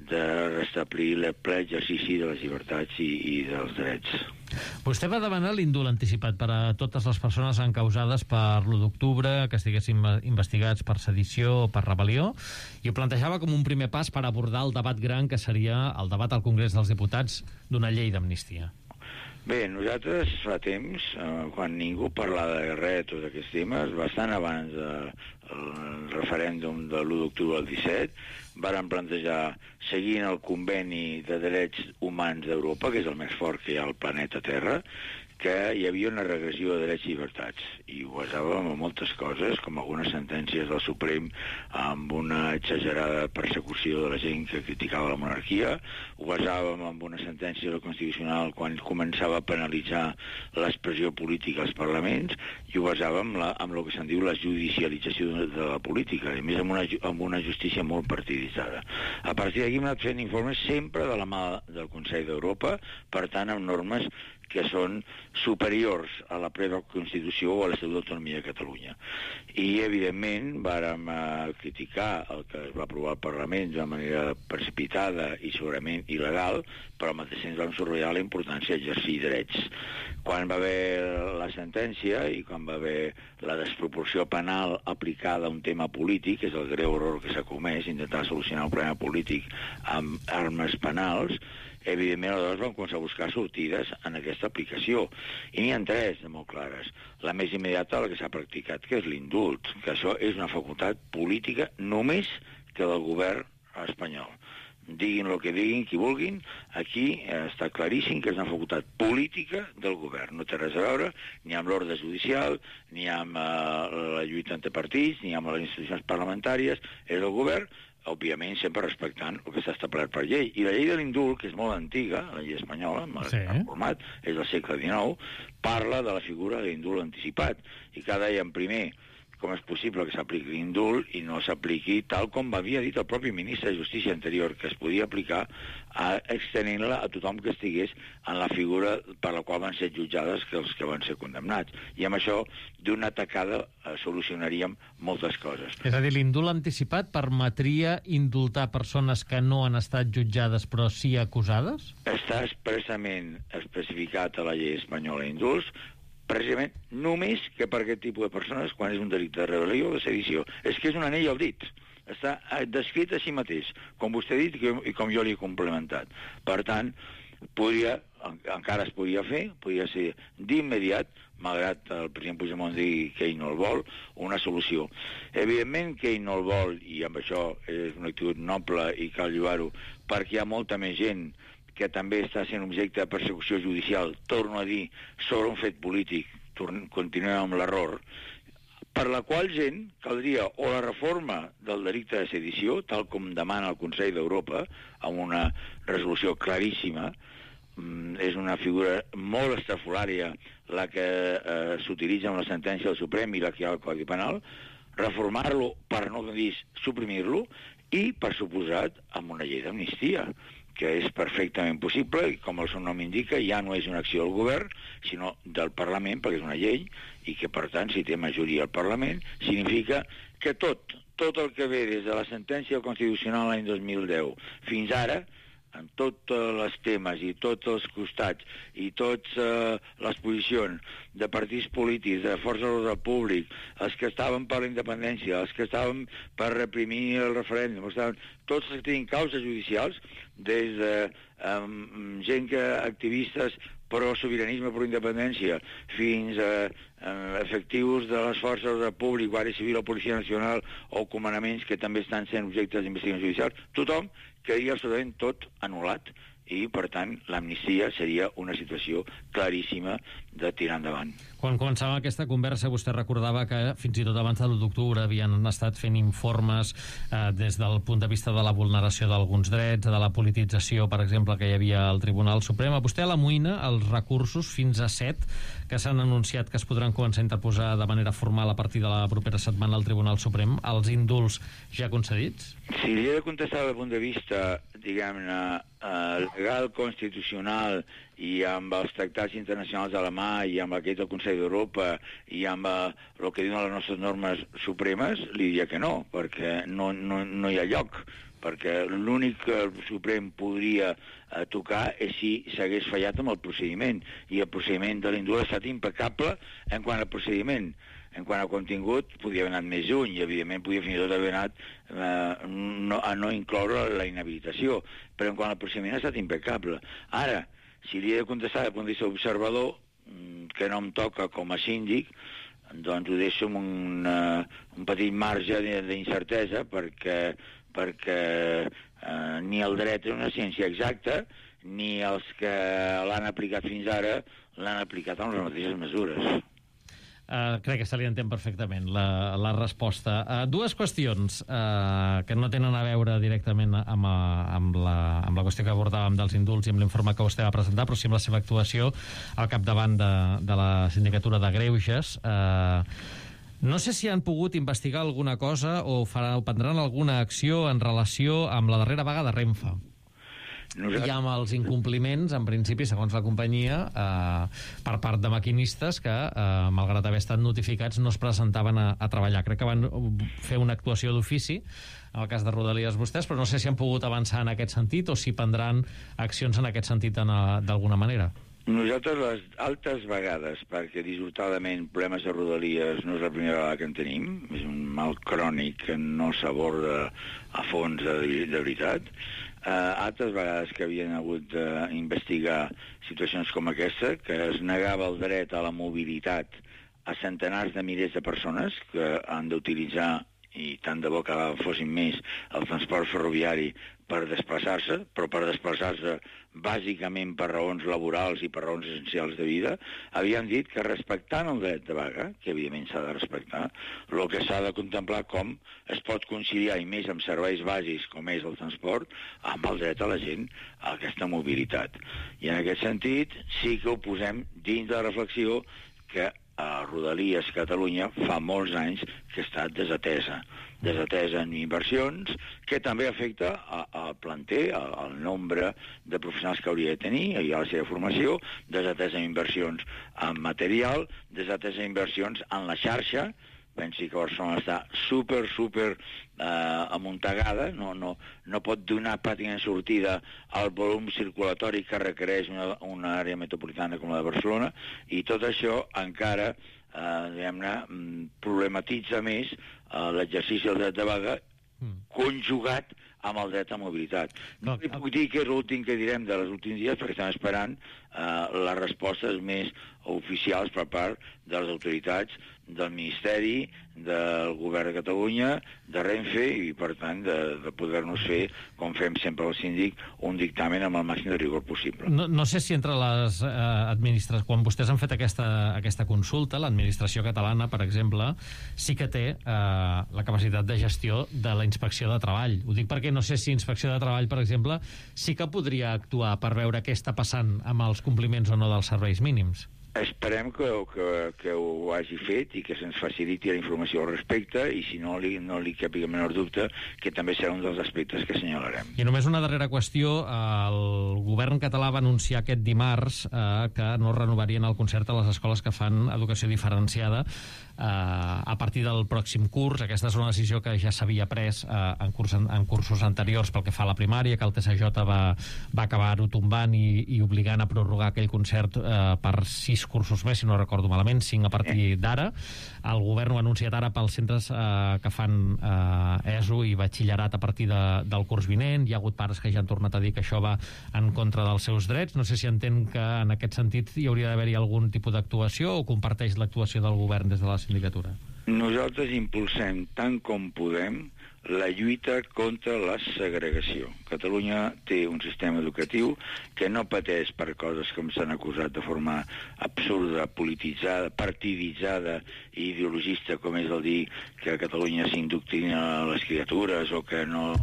E: de restablir el ple exercici de les llibertats i dels drets.
D: Vostè va demanar l'indult anticipat per a totes les persones encausades per l'1 d'octubre, que estiguessin investigats per sedició o per rebel·lió, i ho plantejava com un primer pas per abordar el debat gran que seria el debat al Congrés dels Diputats d'una llei d'amnistia.
E: Bé, nosaltres fa temps, quan ningú parlava de res, tots aquests temes, bastant abans del referèndum de l'1 d'octubre del 17, varen plantejar, seguint el conveni de drets humans d'Europa, que és el més fort que hi ha al planeta Terra, que hi havia una regressió de drets i llibertats. I ho basàvem en moltes coses, com algunes sentències del Suprem amb una exagerada persecució de la gent que criticava la monarquia, ho basàvem en una sentència del Constitucional quan començava a penalitzar l'expressió política als parlaments, i ho basàvem en el que se'n diu la judicialització de la política, i més amb una justícia molt partiditzada. A partir d'aquí hem anat fent informes sempre de la mà del Consell d'Europa, per tant amb normes que són superiors a la pròpia Constitució o a l'Estatut d'Autonomia de Catalunya. I, evidentment, vàrem criticar el que es va aprovar al Parlament d'una manera precipitada i segurament il·legal, però al mateix temps vam subratllar la importància d'exercir drets. Quan va haver la sentència i quan va haver la desproporció penal aplicada a un tema polític, que és el greu error que s'ha comès, intentar solucionar un problema polític amb armes penals, evidentment, aleshores vam començar a buscar sortides en aquesta aplicació. I n'hi ha 3 de molt clares. La més immediata, la que s'ha practicat, que és l'indult, que això és una facultat política només que del govern espanyol. Diguin el que diguin, qui vulguin, aquí està claríssim que és una facultat política del govern. No té res a veure ni amb l'ordre judicial, ni amb la lluita entre partits, ni amb les institucions parlamentàries. És el govern, òbviament sempre respectant el que està establert per llei. I la llei de l'indult, que és molt antiga, la llei espanyola, en format, és del segle XIX, parla de la figura de l'indult anticipat. I cada dèiem primer com és possible que s'apliqui l'indult i no s'apliqui tal com havia dit el propi ministre de Justícia anterior, que es podia aplicar extenent-la a tothom que estigués en la figura per la qual van ser jutjades que els que van ser condemnats. I amb això, d'una tacada, solucionaríem moltes coses.
D: És a dir, l'indult anticipat permetria indultar persones que no han estat jutjades però sí acusades?
E: Està expressament especificat a la llei espanyola d'indults, precisament només que per aquest tipus de persones quan és un delicte de rebel·lió o de sedició. És que és un anell al dit. Està descrit a si mateix, com vostè ha dit i com jo li he complementat. Per tant, encara es podria fer, podria ser d'immediat, malgrat el president Puigdemont digui que ell no el vol, una solució. Evidentment que ell no el vol, i amb això és una actitud noble i cal lloar-ho, perquè hi ha molta més gent que també està sent objecte de persecució judicial, torno a dir, sobre un fet polític, continuem amb l'error, per la qual gent caldria o la reforma del delicte de sedició, tal com demana el Consell d'Europa, amb una resolució claríssima. És una figura molt estrafolària la que s'utilitza en la sentència del Suprem i la que hi ha al Codi Penal, reformar-lo, per no dir suprimir-lo, i, per suposat, amb una llei d'amnistia, que és perfectament possible, i com el seu nom indica, ja no és una acció del govern, sinó del Parlament, perquè és una llei, i que, per tant, si té majoria al Parlament, significa que tot el que ve des de la sentència constitucional l'any 2010 fins ara, en tots els temes i tots els costats i totes les posicions de partits polítics, de forces de l'ordre públic, els que estaven per la independència, els que estaven per reprimir el referèndum, tots els que tenen causes judicials, des de gent activistes pro-sobiranisme, pro-independència, fins a efectius de les forces de l'ordre públic, Guàrdia Civil o Policia Nacional, o comandaments que també estan sent objectes d'investigacions judicials, tothom quedaria absolutament tot anul·lat i, per tant, l'amnistia seria una situació claríssima de tirar endavant.
D: Quan començava aquesta conversa, vostè recordava que fins i tot abans de l'1 d'octubre havien estat fent informes des del punt de vista de la vulneració d'alguns drets, de la politització, per exemple, que hi havia al Tribunal Suprem. A vostè l'amoïna els recursos, fins a 7, que s'han anunciat que es podran començar a interposar de manera formal a partir de la propera setmana al Tribunal Suprem, els indults ja concedits?
E: Si li he de contestar des del punt de vista, diguem-ne, legal, constitucional, i amb els tractats internacionals de la mà, i amb aquest del Consell d'Europa, i amb el que diuen les nostres normes supremes, li diria que no, perquè no hi ha lloc, perquè l'únic que el Suprem podria tocar és si s'hagués fallat amb el procediment, i el procediment de l'indult ha estat impecable en quant al procediment. En quant a contingut, podia haver anat més lluny, i evidentment podia fins i tot haver anat a no incloure la inhabilitació, però en quant al procediment ha estat impecable. Ara, si li he de contestar des del punt de vista observador, que no em toca com a síndic, doncs ho deixo amb un petit marge d'incertesa, perquè ni el dret és una ciència exacta, ni els que l'han aplicat fins ara l'han aplicat amb les mateixes mesures.
D: Crec que se li entén perfectament la resposta. Dues qüestions que no tenen a veure directament amb la qüestió que abordàvem dels indults i amb l'informe que vostè va presentar, però sí amb la seva actuació al capdavant de la Sindicatura de Greuges. No sé si han pogut investigar alguna cosa o prendran alguna acció en relació amb la darrera vaga de Renfe. I amb els incompliments, en principi, segons la companyia, per part de maquinistes que, malgrat haver estat notificats, no es presentaven a treballar. Crec que van fer una actuació d'ofici, en el cas de Rodalies vostès, però no sé si han pogut avançar en aquest sentit o si prendran accions en aquest sentit d'alguna manera.
E: Nosaltres les altres vegades, perquè dissortadament problemes de Rodalies no és la primera vegada que en tenim, és un mal crònic que no s'aborda a fons de veritat, altres vegades que havien hagut d'investigar situacions com aquesta, que es negava el dret a la mobilitat a centenars de milers de persones que han d'utilitzar, i tant de bo que fossin més, el transport ferroviari per desplaçar-se, però per desplaçar-se bàsicament per raons laborals i per raons essencials de vida, havien dit que respectant el dret de vaga, que evidentment s'ha de respectar, el que s'ha de contemplar com es pot conciliar, i més amb serveis bàsics com és el transport, amb el dret a la gent a aquesta mobilitat. I en aquest sentit sí que ho posem dins de la reflexió que a Rodalies Catalunya fa molts anys que ha estat desatesa en inversions, que també afecta al planter, al nombre de professionals que hauria de tenir i a la seva formació, desatesa en inversions en material, desatesa en inversions en la xarxa. Pensi que Barcelona està super amuntegada, no pot donar pràcticament sortida al volum circulatori que requereix una àrea metropolitana com la de Barcelona, i tot això encara problematitza més l'exercici del dret de vaga conjugat amb el dret a mobilitat. No li puc dir que és l'últim que direm de les últims dies, perquè estem esperant les respostes més oficials per part de les autoritats del Ministeri, del Govern de Catalunya, de Renfe, i per tant de poder-nos fer, com fem sempre al síndic, un dictamen amb el màxim de rigor possible.
D: No sé si entre les administracions, quan vostès han fet aquesta consulta, l'administració catalana, per exemple, sí que té la capacitat de gestió de la Inspecció de Treball. Ho dic perquè no sé si Inspecció de Treball, per exemple, sí que podria actuar per veure què està passant amb els compliments o no dels serveis mínims.
E: Esperem que ho hagi fet i que se'ns faciliti la informació al respecte, i si no li capi el menor dubte que també serà un dels aspectes que assenyalarem.
D: I només una darrera qüestió. El govern català va anunciar aquest dimarts que no renovarien el concert a les escoles que fan educació diferenciada a partir del pròxim curs. Aquesta és una decisió que ja s'havia pres en cursos anteriors pel que fa a la primària, que el TSJ va acabar-ho tombant i obligant a prorrogar aquell concert per 6 cursos més, si no recordo malament, 5 a partir d'ara. El govern ho ha anunciat ara pels centres que fan ESO i batxillerat a partir del curs vinent. Hi ha hagut pares que ja han tornat a dir que això va en contra dels seus drets. No sé si entén que en aquest sentit hi hauria d'haver-hi algun tipus d'actuació, o comparteix l'actuació del govern des de la sindicatura?
E: Nosaltres impulsem tant com podem la lluita contra la segregació. Catalunya té un sistema educatiu que no pateix per coses que s'han acusat de forma absurda, polititzada, partiditzada i ideologista, com és el dir que a Catalunya s'indoctrina les criatures o que no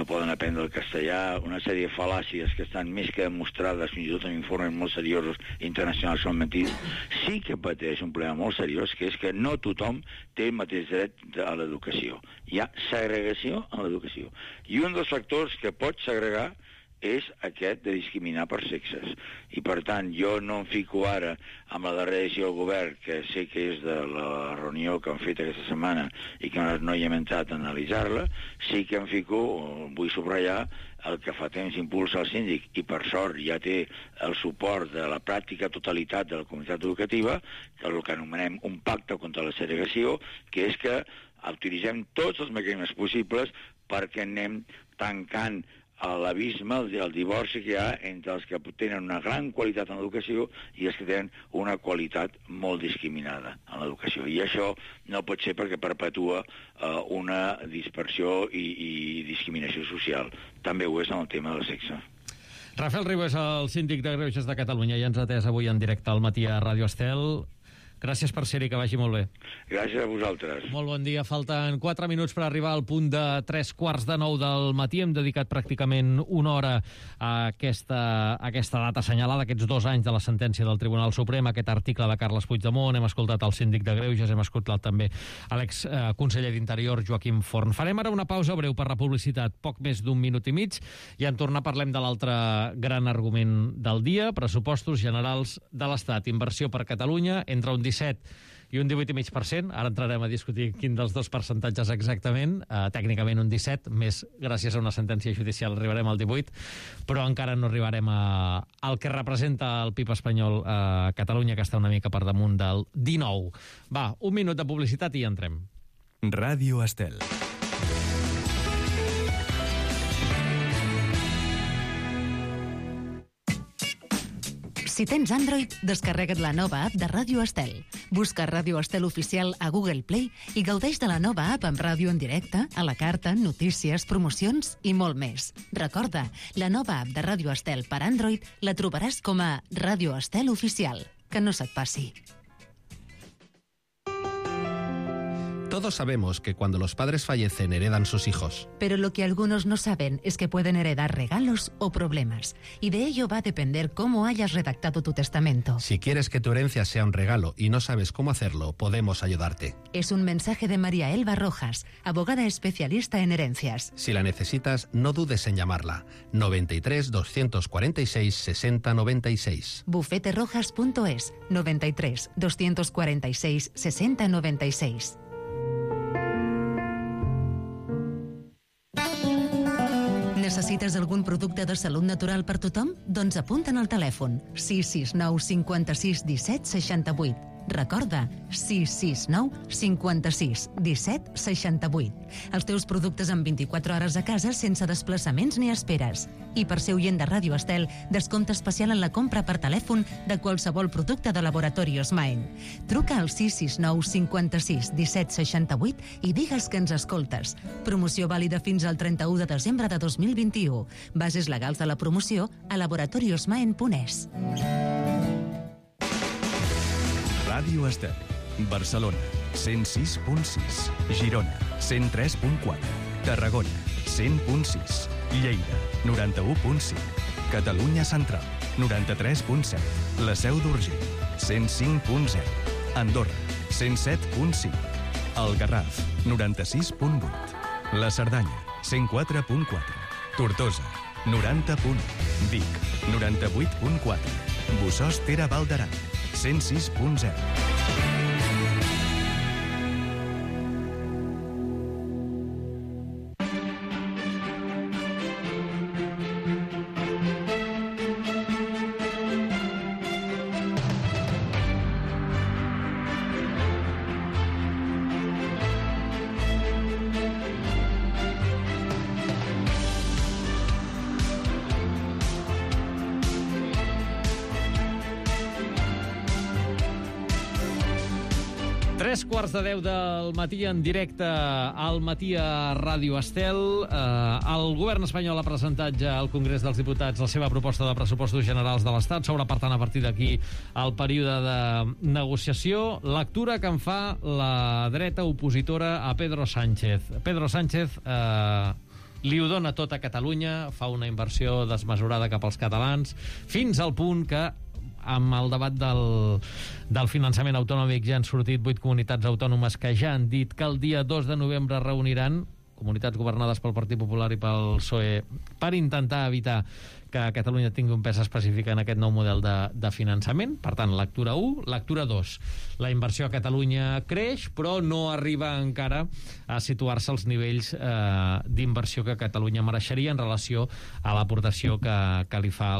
E: poden aprendre el castellà, una sèrie de fal·làcies que estan més que demostrades, fins i tot en informes molt seriosos internacionals són mentides. Sí que pateix un problema molt seriós, que és que no tothom té el mateix dret a l'educació. Hi ha segregació en l'educació. I un dels factors que pot segregar és aquest de discriminar per sexes. I, per tant, jo no em fico ara amb la darrera decisió del govern, que sé que és de la reunió que han fet aquesta setmana i que no hi hem entrat a analitzar-la. Sí que em fico, vull subratllar, el que fa temps impulsa el síndic, i per sort ja té el suport de la pràctica totalitat de la comunitat educativa, que és el que anomenem un pacte contra la segregació, que és que utilitzem tots els mecanismes possibles perquè anem tancant l'abisme, el divorci que hi ha entre els que tenen una gran qualitat en l'educació i els que tenen una qualitat molt discriminada en l'educació. I això no pot ser perquè perpetua una dispersió i discriminació social. També ho és en el tema del sexe.
D: Rafael Riu és el síndic de Greuges de Catalunya i ens ha atès avui en directe al matí a Ràdio Estel. Gràcies per ser-hi, que vagi molt bé.
E: Gràcies a vosaltres.
D: Molt bon dia. Falten 4 minuts per arribar al punt de 3:15 del matí. Hem dedicat pràcticament una hora a aquesta data assenyalada, aquests 2 anys de la sentència del Tribunal Suprem, aquest article de Carles Puigdemont. Hem escoltat el síndic de Greuges, hem escoltat també l'exconseller d'Interior, Joaquim Forn. Farem ara una pausa breu per la publicitat, poc més d'1 minut i mig, i en tornar parlem de l'altre gran argument del dia, pressupostos generals de l'Estat. Inversió per Catalunya entre un 17 i un 18,5%. Ara entrarem a discutir quin dels dos percentatges exactament. Tècnicament un 17, més gràcies a una sentència judicial arribarem al 18, però encara no arribarem al que representa el PIB espanyol a Catalunya, que està una mica per damunt del 19. Va, 1 minut de publicitat i entrem.
F: Ràdio Estel.
G: Si tens Android, descarrega't la nova app de Ràdio Estel. Busca Ràdio Estel Oficial a Google Play i gaudeix de la nova app amb ràdio en directe, a la carta, notícies, promocions i molt més. Recorda, la nova app de Ràdio Estel per Android la trobaràs com a Ràdio Estel Oficial. Que no se't passi.
H: Todos sabemos que cuando los padres fallecen heredan sus hijos.
G: Pero lo que algunos no saben es que pueden heredar regalos o problemas. Y de ello va a depender cómo hayas redactado tu testamento.
H: Si quieres que tu herencia sea un regalo y no sabes cómo hacerlo, podemos ayudarte.
G: Es un mensaje de María Elba Rojas, abogada especialista en herencias.
H: Si la necesitas, no dudes en llamarla. 93 246 60 96.
G: bufeterojas.es 93 246 60 96. Necessites algun producte de salut natural per tothom? Doncs apunta'n al telèfon 669 56 17 68. Recorda, 669 56 17 68. Els teus productes en 24 hores a casa sense desplaçaments ni esperes. I per ser oient de Ràdio Estel, descompte especial en la compra per telèfon de qualsevol producte de Laboratorios Maen. Truca al 669 56 17 68 i digues que ens escoltes. Promoció vàlida fins al 31 de desembre de 2021. Bases legals de la promoció a laboratoriosmaen.es.
F: Ràdio Estel. Barcelona, 106.6. Girona, 103.4. Tarragona, 100.6. Lleida, 91.5. Catalunya Central, 93.7. La Seu d'Urgell, 105.0. Andorra, 107.5. El Garraf, 96.8. La Cerdanya, 104.4. Tortosa, 90.1. Vic, 98.4. Bossòst Tere Val d'Aran, 106.0.
D: Tres quarts de 10 del matí en directe al matí a Ràdio Estel. El govern espanyol ha presentat ja al Congrés dels Diputats la seva proposta de pressupostos generals de l'Estat. S'obre, per tant, a partir d'aquí el període de negociació. Lectura que en fa la dreta opositora a Pedro Sánchez. Pedro Sánchez li ho dona tot a Catalunya, fa una inversió desmesurada cap als catalans, fins al punt que amb el debat del finançament autonòmic ja han sortit 8 comunitats autònomes que ja han dit que el dia 2 de novembre reuniran, comunitats governades pel Partit Popular i pel PSOE, per intentar evitar que Catalunya tingui un pes específic en aquest nou model de finançament. Per tant, lectura 1. Lectura 2. La inversió a Catalunya creix, però no arriba encara a situar-se als nivells d'inversió que Catalunya mereixeria en relació a l'aportació que li fa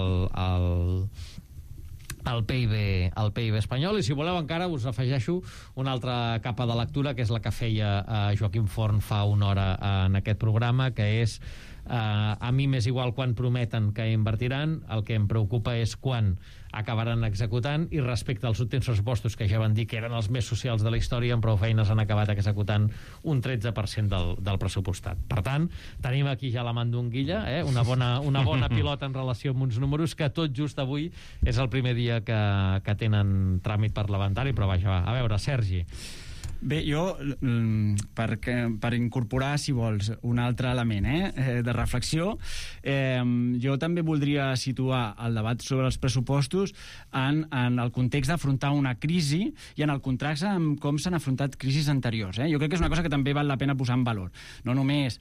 D: el PIB espanyol. I si voleu encara us afegeixo una altra capa de lectura, que és la que feia Joaquim Forn fa una hora en aquest programa, que és a mi m'és igual quan prometen que invertiran, el que em preocupa és quan acabaran executant, i respecte als últims pressupostos, que ja van dir que eren els més socials de la història, amb prou feines han acabat executant un 13% del pressupostat. Per tant, tenim aquí ja la mandonguilla, una bona pilota en relació amb uns números que tot just avui és el primer dia que tenen tràmit parlamentari, però vaja, va. A veure, Sergi.
B: Bé, jo, per incorporar, si vols, un altre element de reflexió, jo també voldria situar el debat sobre els pressupostos en el context d'afrontar una crisi i en el contrast amb com s'han afrontat crisis anteriors. Jo crec que és una cosa que també val la pena posar en valor. No només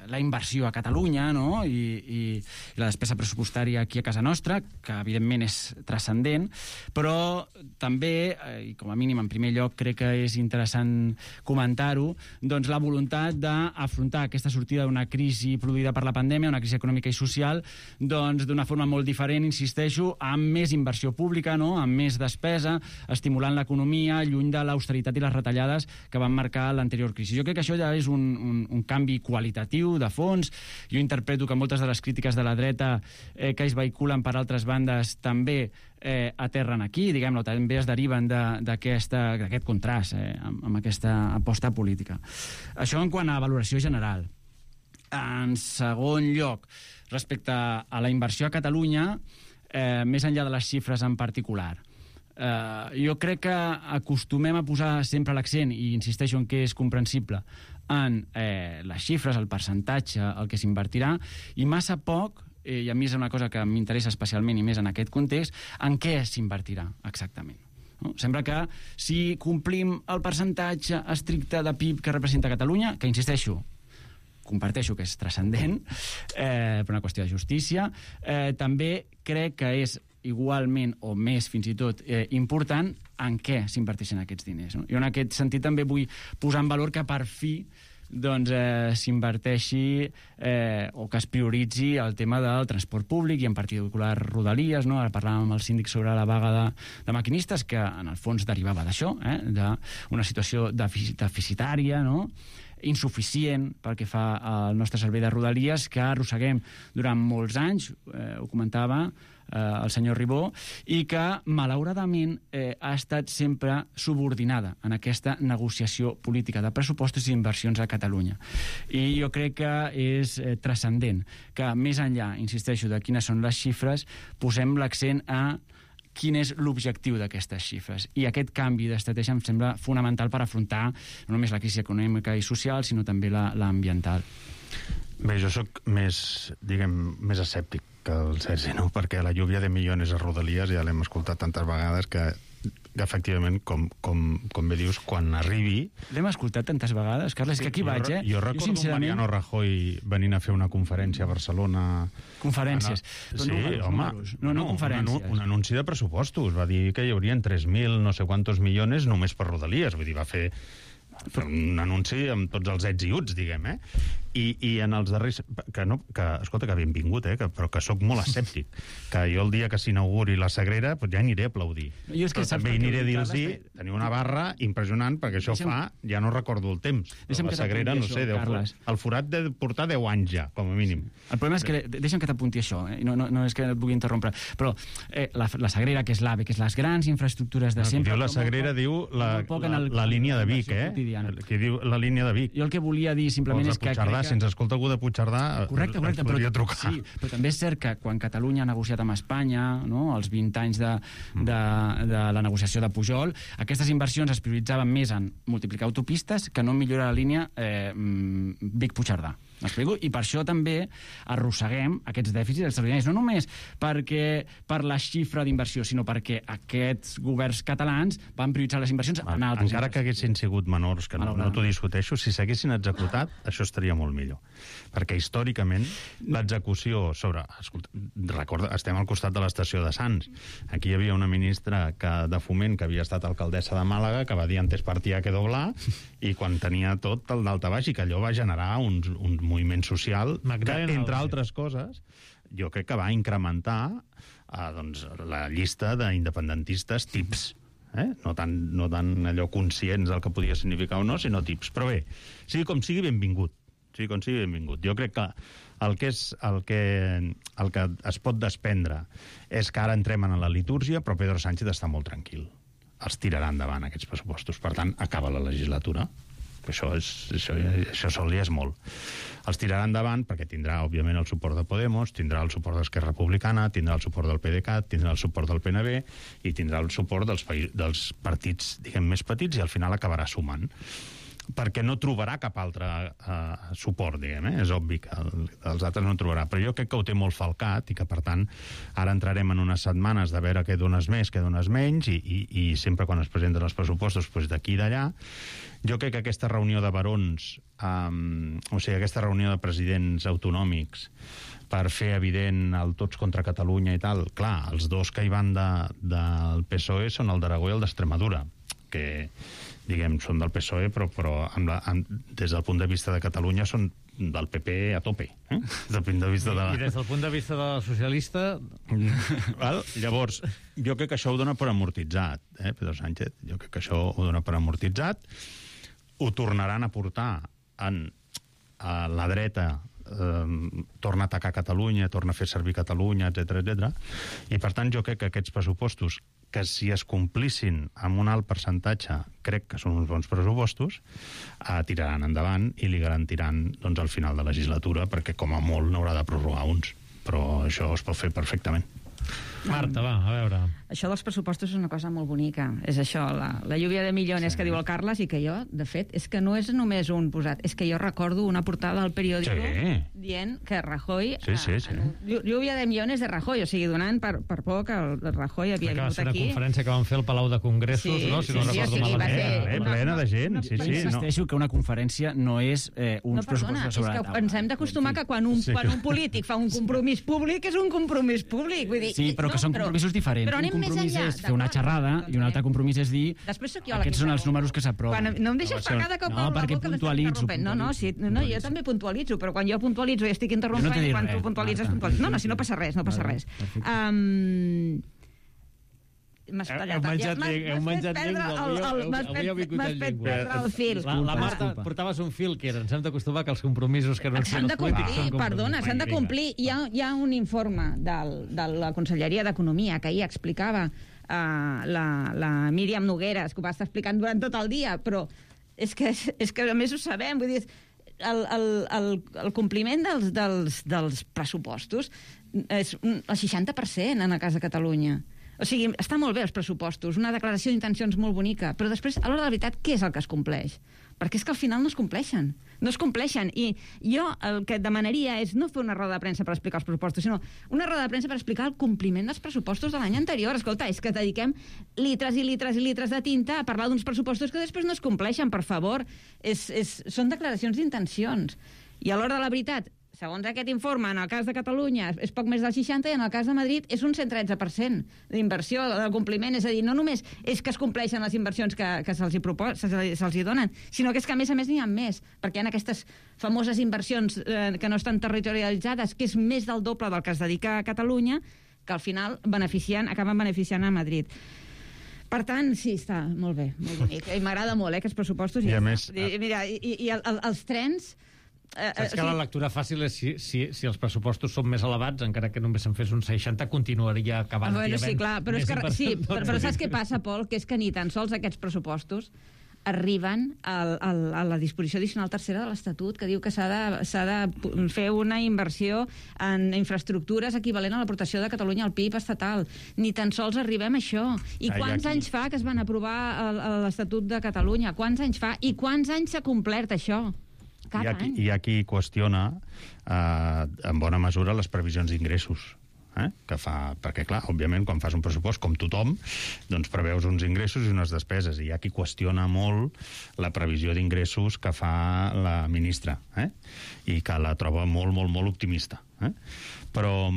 B: la inversió a Catalunya, no? I la despesa pressupostària aquí a casa nostra, que evidentment és transcendent, però també, i com a mínim en primer lloc crec que és interessant comentar-ho, doncs la voluntat d'afrontar aquesta sortida d'una crisi produïda per la pandèmia, una crisi econòmica i social, doncs d'una forma molt diferent, insisteixo, amb més inversió pública, no? Amb més despesa, estimulant l'economia, lluny de l'austeritat i les retallades que van marcar l'anterior crisi. Jo crec que això ja és un canvi qualitatiu, de fons. Jo interpreto que moltes de les crítiques de la dreta que es vehiculen per altres bandes també aterren aquí, diguem-ne, també es deriven d'aquest contrast amb aquesta aposta política. Això en quant a valoració general. En segon lloc, respecte a la inversió a Catalunya, més enllà de les xifres en particular, jo crec que acostumem a posar sempre l'accent, i insisteixo en que és comprensible, en les xifres, el percentatge, el que s'invertirà, i massa poc, i a mi és una cosa que m'interessa especialment i més en aquest context, en què s'invertirà exactament. No? Sembla que si complim el percentatge estricte de PIB que representa Catalunya, que insisteixo, comparteixo que és transcendent, per una qüestió de justícia, també crec que és igualment o més fins i tot important en què s'inverteixen aquests diners. No? Jo en aquest sentit també vull posar en valor que per fi s'inverteixi o que es prioritzi el tema del transport públic i en particular Rodalies, no? Ara parlàvem amb el síndic sobre la vaga de maquinistes, que en el fons derivava d'això, d'una situació deficitària, no? Insuficient pel que fa al nostre servei de Rodalies, que arrosseguem durant molts anys, ho comentava el senyor Ribó, i que, malauradament, ha estat sempre subordinada en aquesta negociació política de pressupostos i inversions a Catalunya. I jo crec que és transcendent que, més enllà, insisteixo, de quines són les xifres, posem l'accent a quin és l'objectiu d'aquestes xifres. I aquest canvi d'estratègia em sembla fonamental per afrontar no només la crisi econòmica i social, sinó també l'ambiental.
A: Bé, jo sóc més escèptic que el Sergi, no? Perquè la lluvia de milions a Rodalies ja l'hem escoltat tantes vegades que efectivament, com bé dius, quan arribi...
B: L'hem escoltat tantes vegades, Carles, que aquí vaig,
A: Jo recordo sincerament... Mariano Rajoy venint a fer una conferència a Barcelona...
B: Conferències.
A: Sí, home,
B: no conferències.
A: Un anunci de pressupostos. Va dir que hi haurien 3.000 no sé quantos milions només per Rodalies. Vull dir, va fer un anunci amb tots els ets i uts, diguem, I en els darrers... Escolta, que benvingut, però que sóc molt escèptic. Que jo el dia que s'inauguri la Sagrera ja aniré a aplaudir. Però també aniré a dir-los, teniu una barra impressionant, perquè això fa... Ja no recordo el temps. La Sagrera, no sé, el forat de portar 10 anys ja, com a mínim.
B: El problema és que... Deixa'm que t'apunti això, no és que et vulgui interrompre, però la Sagrera, que és l'AVE, que és les grans infraestructures de sempre...
A: La Sagrera diu la línia de Vic, que diu la línia de Vic.
B: Jo el que volia dir simplement és que...
A: Si ens escolta algú de Puigcerdà,
B: correcte,
A: podria trucar.
B: Sí, però també és cert que quan Catalunya ha negociat amb Espanya, els 20 anys de la negociació de Pujol, aquestes inversions es prioritzaven més en multiplicar autopistes que no en millorar la línia Vic-Puigcerdà. M'explico? I per això també arrosseguem aquests dèficits extraordinaris, no només per la xifra d'inversió, sinó perquè aquests governs catalans van prioritzar les inversions en altres.
A: Encara que haguessin sigut menors, que no t'ho discuteixo, si s'haguessin executat, això estaria molt millor. Perquè històricament l'execució sobre... Recorda, estem al costat de l'estació de Sants. Aquí hi havia una ministra de Foment que havia estat alcaldessa de Màlaga, que va dir antes partía que doblar, i quan tenia tot el daltabaix, i que allò va generar un moviment social que, entre altres coses, jo crec que va incrementar la llista d'independentistes tips. No tan allò conscients del que podia significar o no, sinó tips. Però bé, sigui com sigui, benvingut. Jo crec que el que es pot desprendre és que ara entrem en la litúrgia, però Pedro Sánchez està molt tranquil. Els tirarà endavant, aquests pressupostos. Per tant, acaba la legislatura. Això sol ja és molt. Els tirarà endavant perquè tindrà, òbviament, el suport de Podemos, tindrà el suport d'Esquerra Republicana, tindrà el suport del PDeCAT, tindrà el suport del PNB i tindrà el suport dels partits, diguem, més petits, i al final acabarà sumant. Perquè no trobarà cap altre suport, diguem, és obvi que els altres no en trobarà, però jo crec que ho té molt falcat i que, per tant, ara entrarem en unes setmanes de veure què dones més, què dones menys, i sempre quan es presenten els pressupostos, d'aquí i d'allà. Jo crec que aquesta reunió de barons, aquesta reunió de presidents autonòmics, per fer evident el tots contra Catalunya i tal, clar, els dos que hi van del PSOE són el d'Aragó i el d'Extremadura, que diguem, són del PSOE, però des del punt de vista de Catalunya són del PP a tope. Des del punt de vista
D: I des del punt de vista de la socialista...
A: Llavors, jo crec que això ho dona per amortitzat, Pedro Sánchez. Jo crec que això ho dona per amortitzat. Ho tornaran a portar a la dreta, torna a atacar Catalunya, torna a fer servir Catalunya, etc. I, per tant, jo crec que aquests pressupostos, que si es complissin amb un alt percentatge, crec que són uns bons pressupostos, tiraran endavant i li garantiran al final de legislatura, perquè com a molt n'haurà de prorrogar uns. Però això es pot fer perfectament.
D: Marta, va, a veure.
C: Això dels pressupostos és una cosa molt bonica. És això, la lluvia de milions que diu el Carles, i que jo, de fet, és que no és només un posat, és que jo recordo una portada del periòdico dient que Rajoy... Lluvia de milions de Rajoy, o sigui, donant per por que el Rajoy havia vingut aquí.
D: Va ser una conferència que van fer al Palau de Congressos, no? Si no recordo malament.
A: Plena de gent, sí.
B: Insisteixo que una conferència no és uns pressupostos sobre la taula.
C: Ens hem d'acostumar que quan un polític fa un compromís públic és un compromís públic. Vull dir,
B: sí, però que són compromisos diferents.
C: Però
B: un
C: anem més
B: compromís
C: enllà,
B: és fer una xerrada i un altre compromís és dir aquests són els números que s'aproven.
C: No em deixes per cada cop
B: no, perquè puntualitzo.
C: No, jo també puntualitzo, però quan jo puntualitzo i estic interrompent, quan tu puntualitzes, puntualitzo. No, si no passa res, no passa res. M'has tallat.
D: Heu menjat llengua.
C: M'has fet perdre el fil.
D: La Marta, portaves un fil que ens hem d'acostumar que els compromisos que anuncien els polítics són compromisos.
C: Perdona, s'han de complir. Hi ha un informe de la Conselleria d'Economia que ahir explicava la Míriam Nogueras, que ho va estar explicant durant tot el dia, però és que a més ho sabem, vull dir, el compliment dels pressupostos és el 60% en el cas de Catalunya. O sigui, està molt bé els pressupostos, una declaració d'intencions molt bonica, però després, a l'hora de la veritat, què és el que es compleix? Perquè és que al final no es compleixen. No es compleixen. I jo el que demanaria és no fer una roda de premsa per explicar els pressupostos, sinó una roda de premsa per explicar el compliment dels pressupostos de l'any anterior. Escolta, és que dediquem litres i litres i litres de tinta a parlar d'uns pressupostos que després no es compleixen, per favor. Són declaracions d'intencions. I a l'hora de la veritat, segons aquest informe, en el cas de Catalunya és poc més del 60% i en el cas de Madrid és un 113% d'inversió, del compliment. És a dir, no només és que es compleixen les inversions que se'ls donen, sinó que és que a més n'hi ha més, perquè hi ha aquestes famoses inversions que no estan territorialitzades, que és més del doble del que es dedica a Catalunya, que al final acaben beneficiant a Madrid. Per tant, sí, està molt bé, molt bonic. I m'agrada molt, aquests pressupostos.
A: I a més...
C: Mira, i els trens...
D: Saps que la lectura fàcil és si els pressupostos són més elevats, encara que només se'n fes un 60, continuaria acabant.
C: Bueno, sí, clar, però saps què passa, Pol? Que és que ni tan sols aquests pressupostos arriben a la disposició addicional tercera de l'Estatut, que diu que s'ha de fer una inversió en infraestructures equivalent a l'aportació de Catalunya al PIB estatal. Ni tan sols arribem a això. I quants anys fa que es van aprovar l'Estatut de Catalunya? Quants anys fa? I quants anys s'ha complert això?
A: Hi ha qui qüestiona en bona mesura les previsions d'ingressos que fa, perquè clar, òbviament quan fas un pressupost com tothom, doncs preveus uns ingressos i unes despeses, i hi ha qui qüestiona molt la previsió d'ingressos que fa la ministra i que la troba molt, molt, molt optimista. Però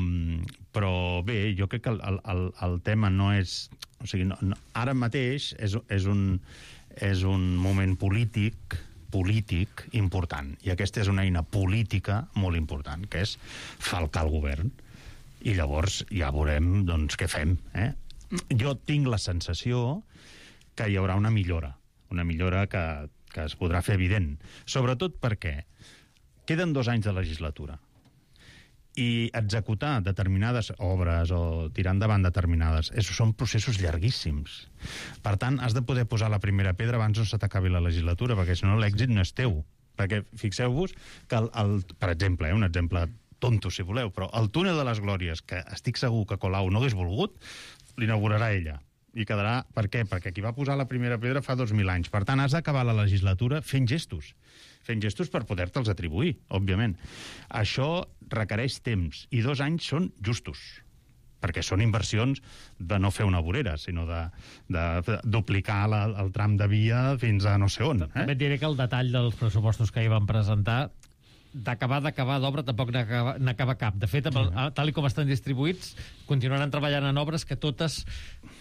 A: bé, jo crec que el tema no és... O sigui, ara mateix és un moment polític important, i aquesta és una eina política molt important, que és falcar el govern, i llavors ja veurem doncs què fem. Jo tinc la sensació que hi haurà una millora que es podrà fer evident, sobretot perquè queden 2 anys de legislatura i executar determinades obres o tirar endavant determinades són processos llarguíssims. Per tant, has de poder posar la primera pedra abans no se t'acabi la legislatura, perquè si no l'èxit no és teu. Perquè fixeu-vos que, per exemple, un exemple tonto, si voleu, però el túnel de les Glòries, que estic segur que Colau no hagués volgut, l'inaugurarà ella. I quedarà... Per què? Perquè qui va posar la primera pedra fa 2.000 anys. Per tant, has d'acabar la legislatura fent gestos per poder-te'ls atribuir, òbviament. Això requereix temps, i 2 anys són justos, perquè són inversions de no fer una vorera, sinó de duplicar el tram de via fins a no sé on.
D: També et diré que el detall dels pressupostos que hi van presentar, d'acabar d'obra tampoc n'acaba cap. De fet, tal com estan distribuïts, continuaran treballant en obres que totes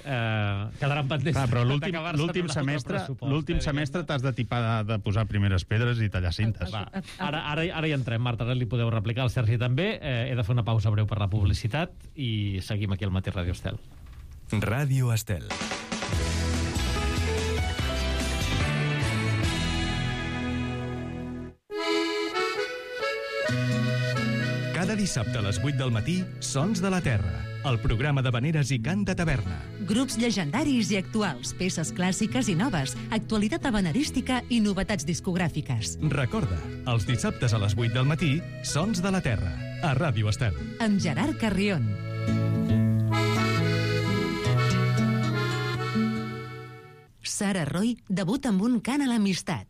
D: quedaran pendents.
A: Però l'últim semestre t'has de tipar de posar primeres pedres i tallar cintes.
D: Ara hi entrem, Marta, ara li podeu replicar, el Sergi també. He de fer una pausa breu per la publicitat i seguim aquí al Matí Ràdio Estel.
F: Ràdio Estel. Cada dissabte a les 8 del matí, Sons de la Terra, el programa de veneres i cant de taverna.
G: Grups llegendaris i actuals, peces clàssiques i noves, actualitat habanerística i novetats discogràfiques.
F: Recorda, els dissabtes a les 8 del matí, Sons de la Terra, a Ràdio Estel.
G: Amb Gerard Carrion. Sara Roy debuta amb un cant a l'amistat.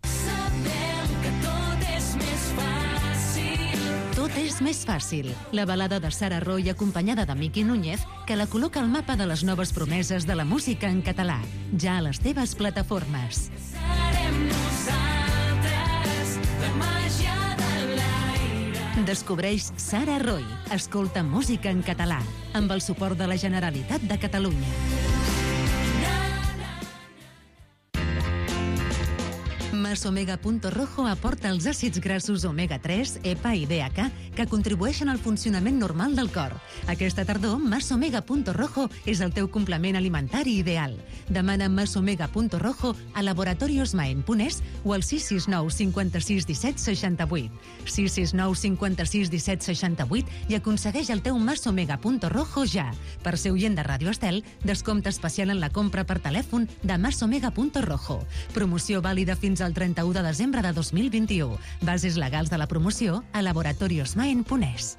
G: Tot és més fàcil. La balada de Sara Roy acompanyada de Miqui Núñez, que la col·loca al mapa de les noves promeses de la música en català. Ja a les teves plataformes. Serem nosaltres, la màgia de l'aire. Descobreix Sara Roy. Escolta música en català, amb el suport de la Generalitat de Catalunya. Masomega.rojo aporta els àcids grassos omega-3, EPA i DHA que contribueixen al funcionament normal del cor. Aquesta tardor, Masomega.rojo és el teu complement alimentari ideal. Demana Masomega.rojo a laboratoriosmaen.es o al 669 56 17 68. 669 56 17 68 i aconsegueix el teu Masomega.rojo ja. Per ser oient de Ràdio Estel, descompte especial en la compra per telèfon de Masomega.rojo. Promoció vàlida fins al 31 de desembre de 2021. Bases legals de la promoció a laboratoriosmaen.es.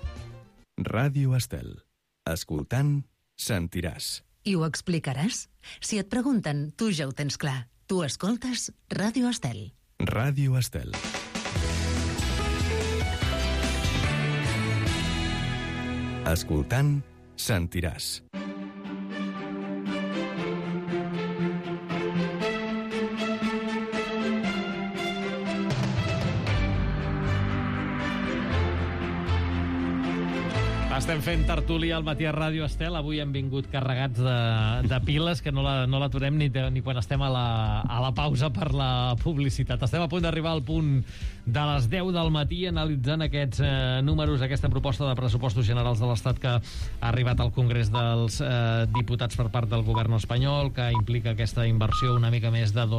F: Ràdio Estel. Escoltant, sentiràs.
G: I ho explicaràs? Si et pregunten, tu ja ho tens clar. Tu escoltes Ràdio Estel.
F: Ràdio Estel. Escoltant, sentiràs.
D: Estem fent tertúlia al matí a Ràdio Estel. Avui hem vingut carregats de piles que no l'aturem ni quan estem a la pausa per la publicitat. Estem a punt d'arribar al punt de les 10 del matí analitzant aquests números, aquesta proposta de pressupostos generals de l'Estat que ha arribat al Congrés dels Diputats per part del govern espanyol, que implica aquesta inversió una mica més de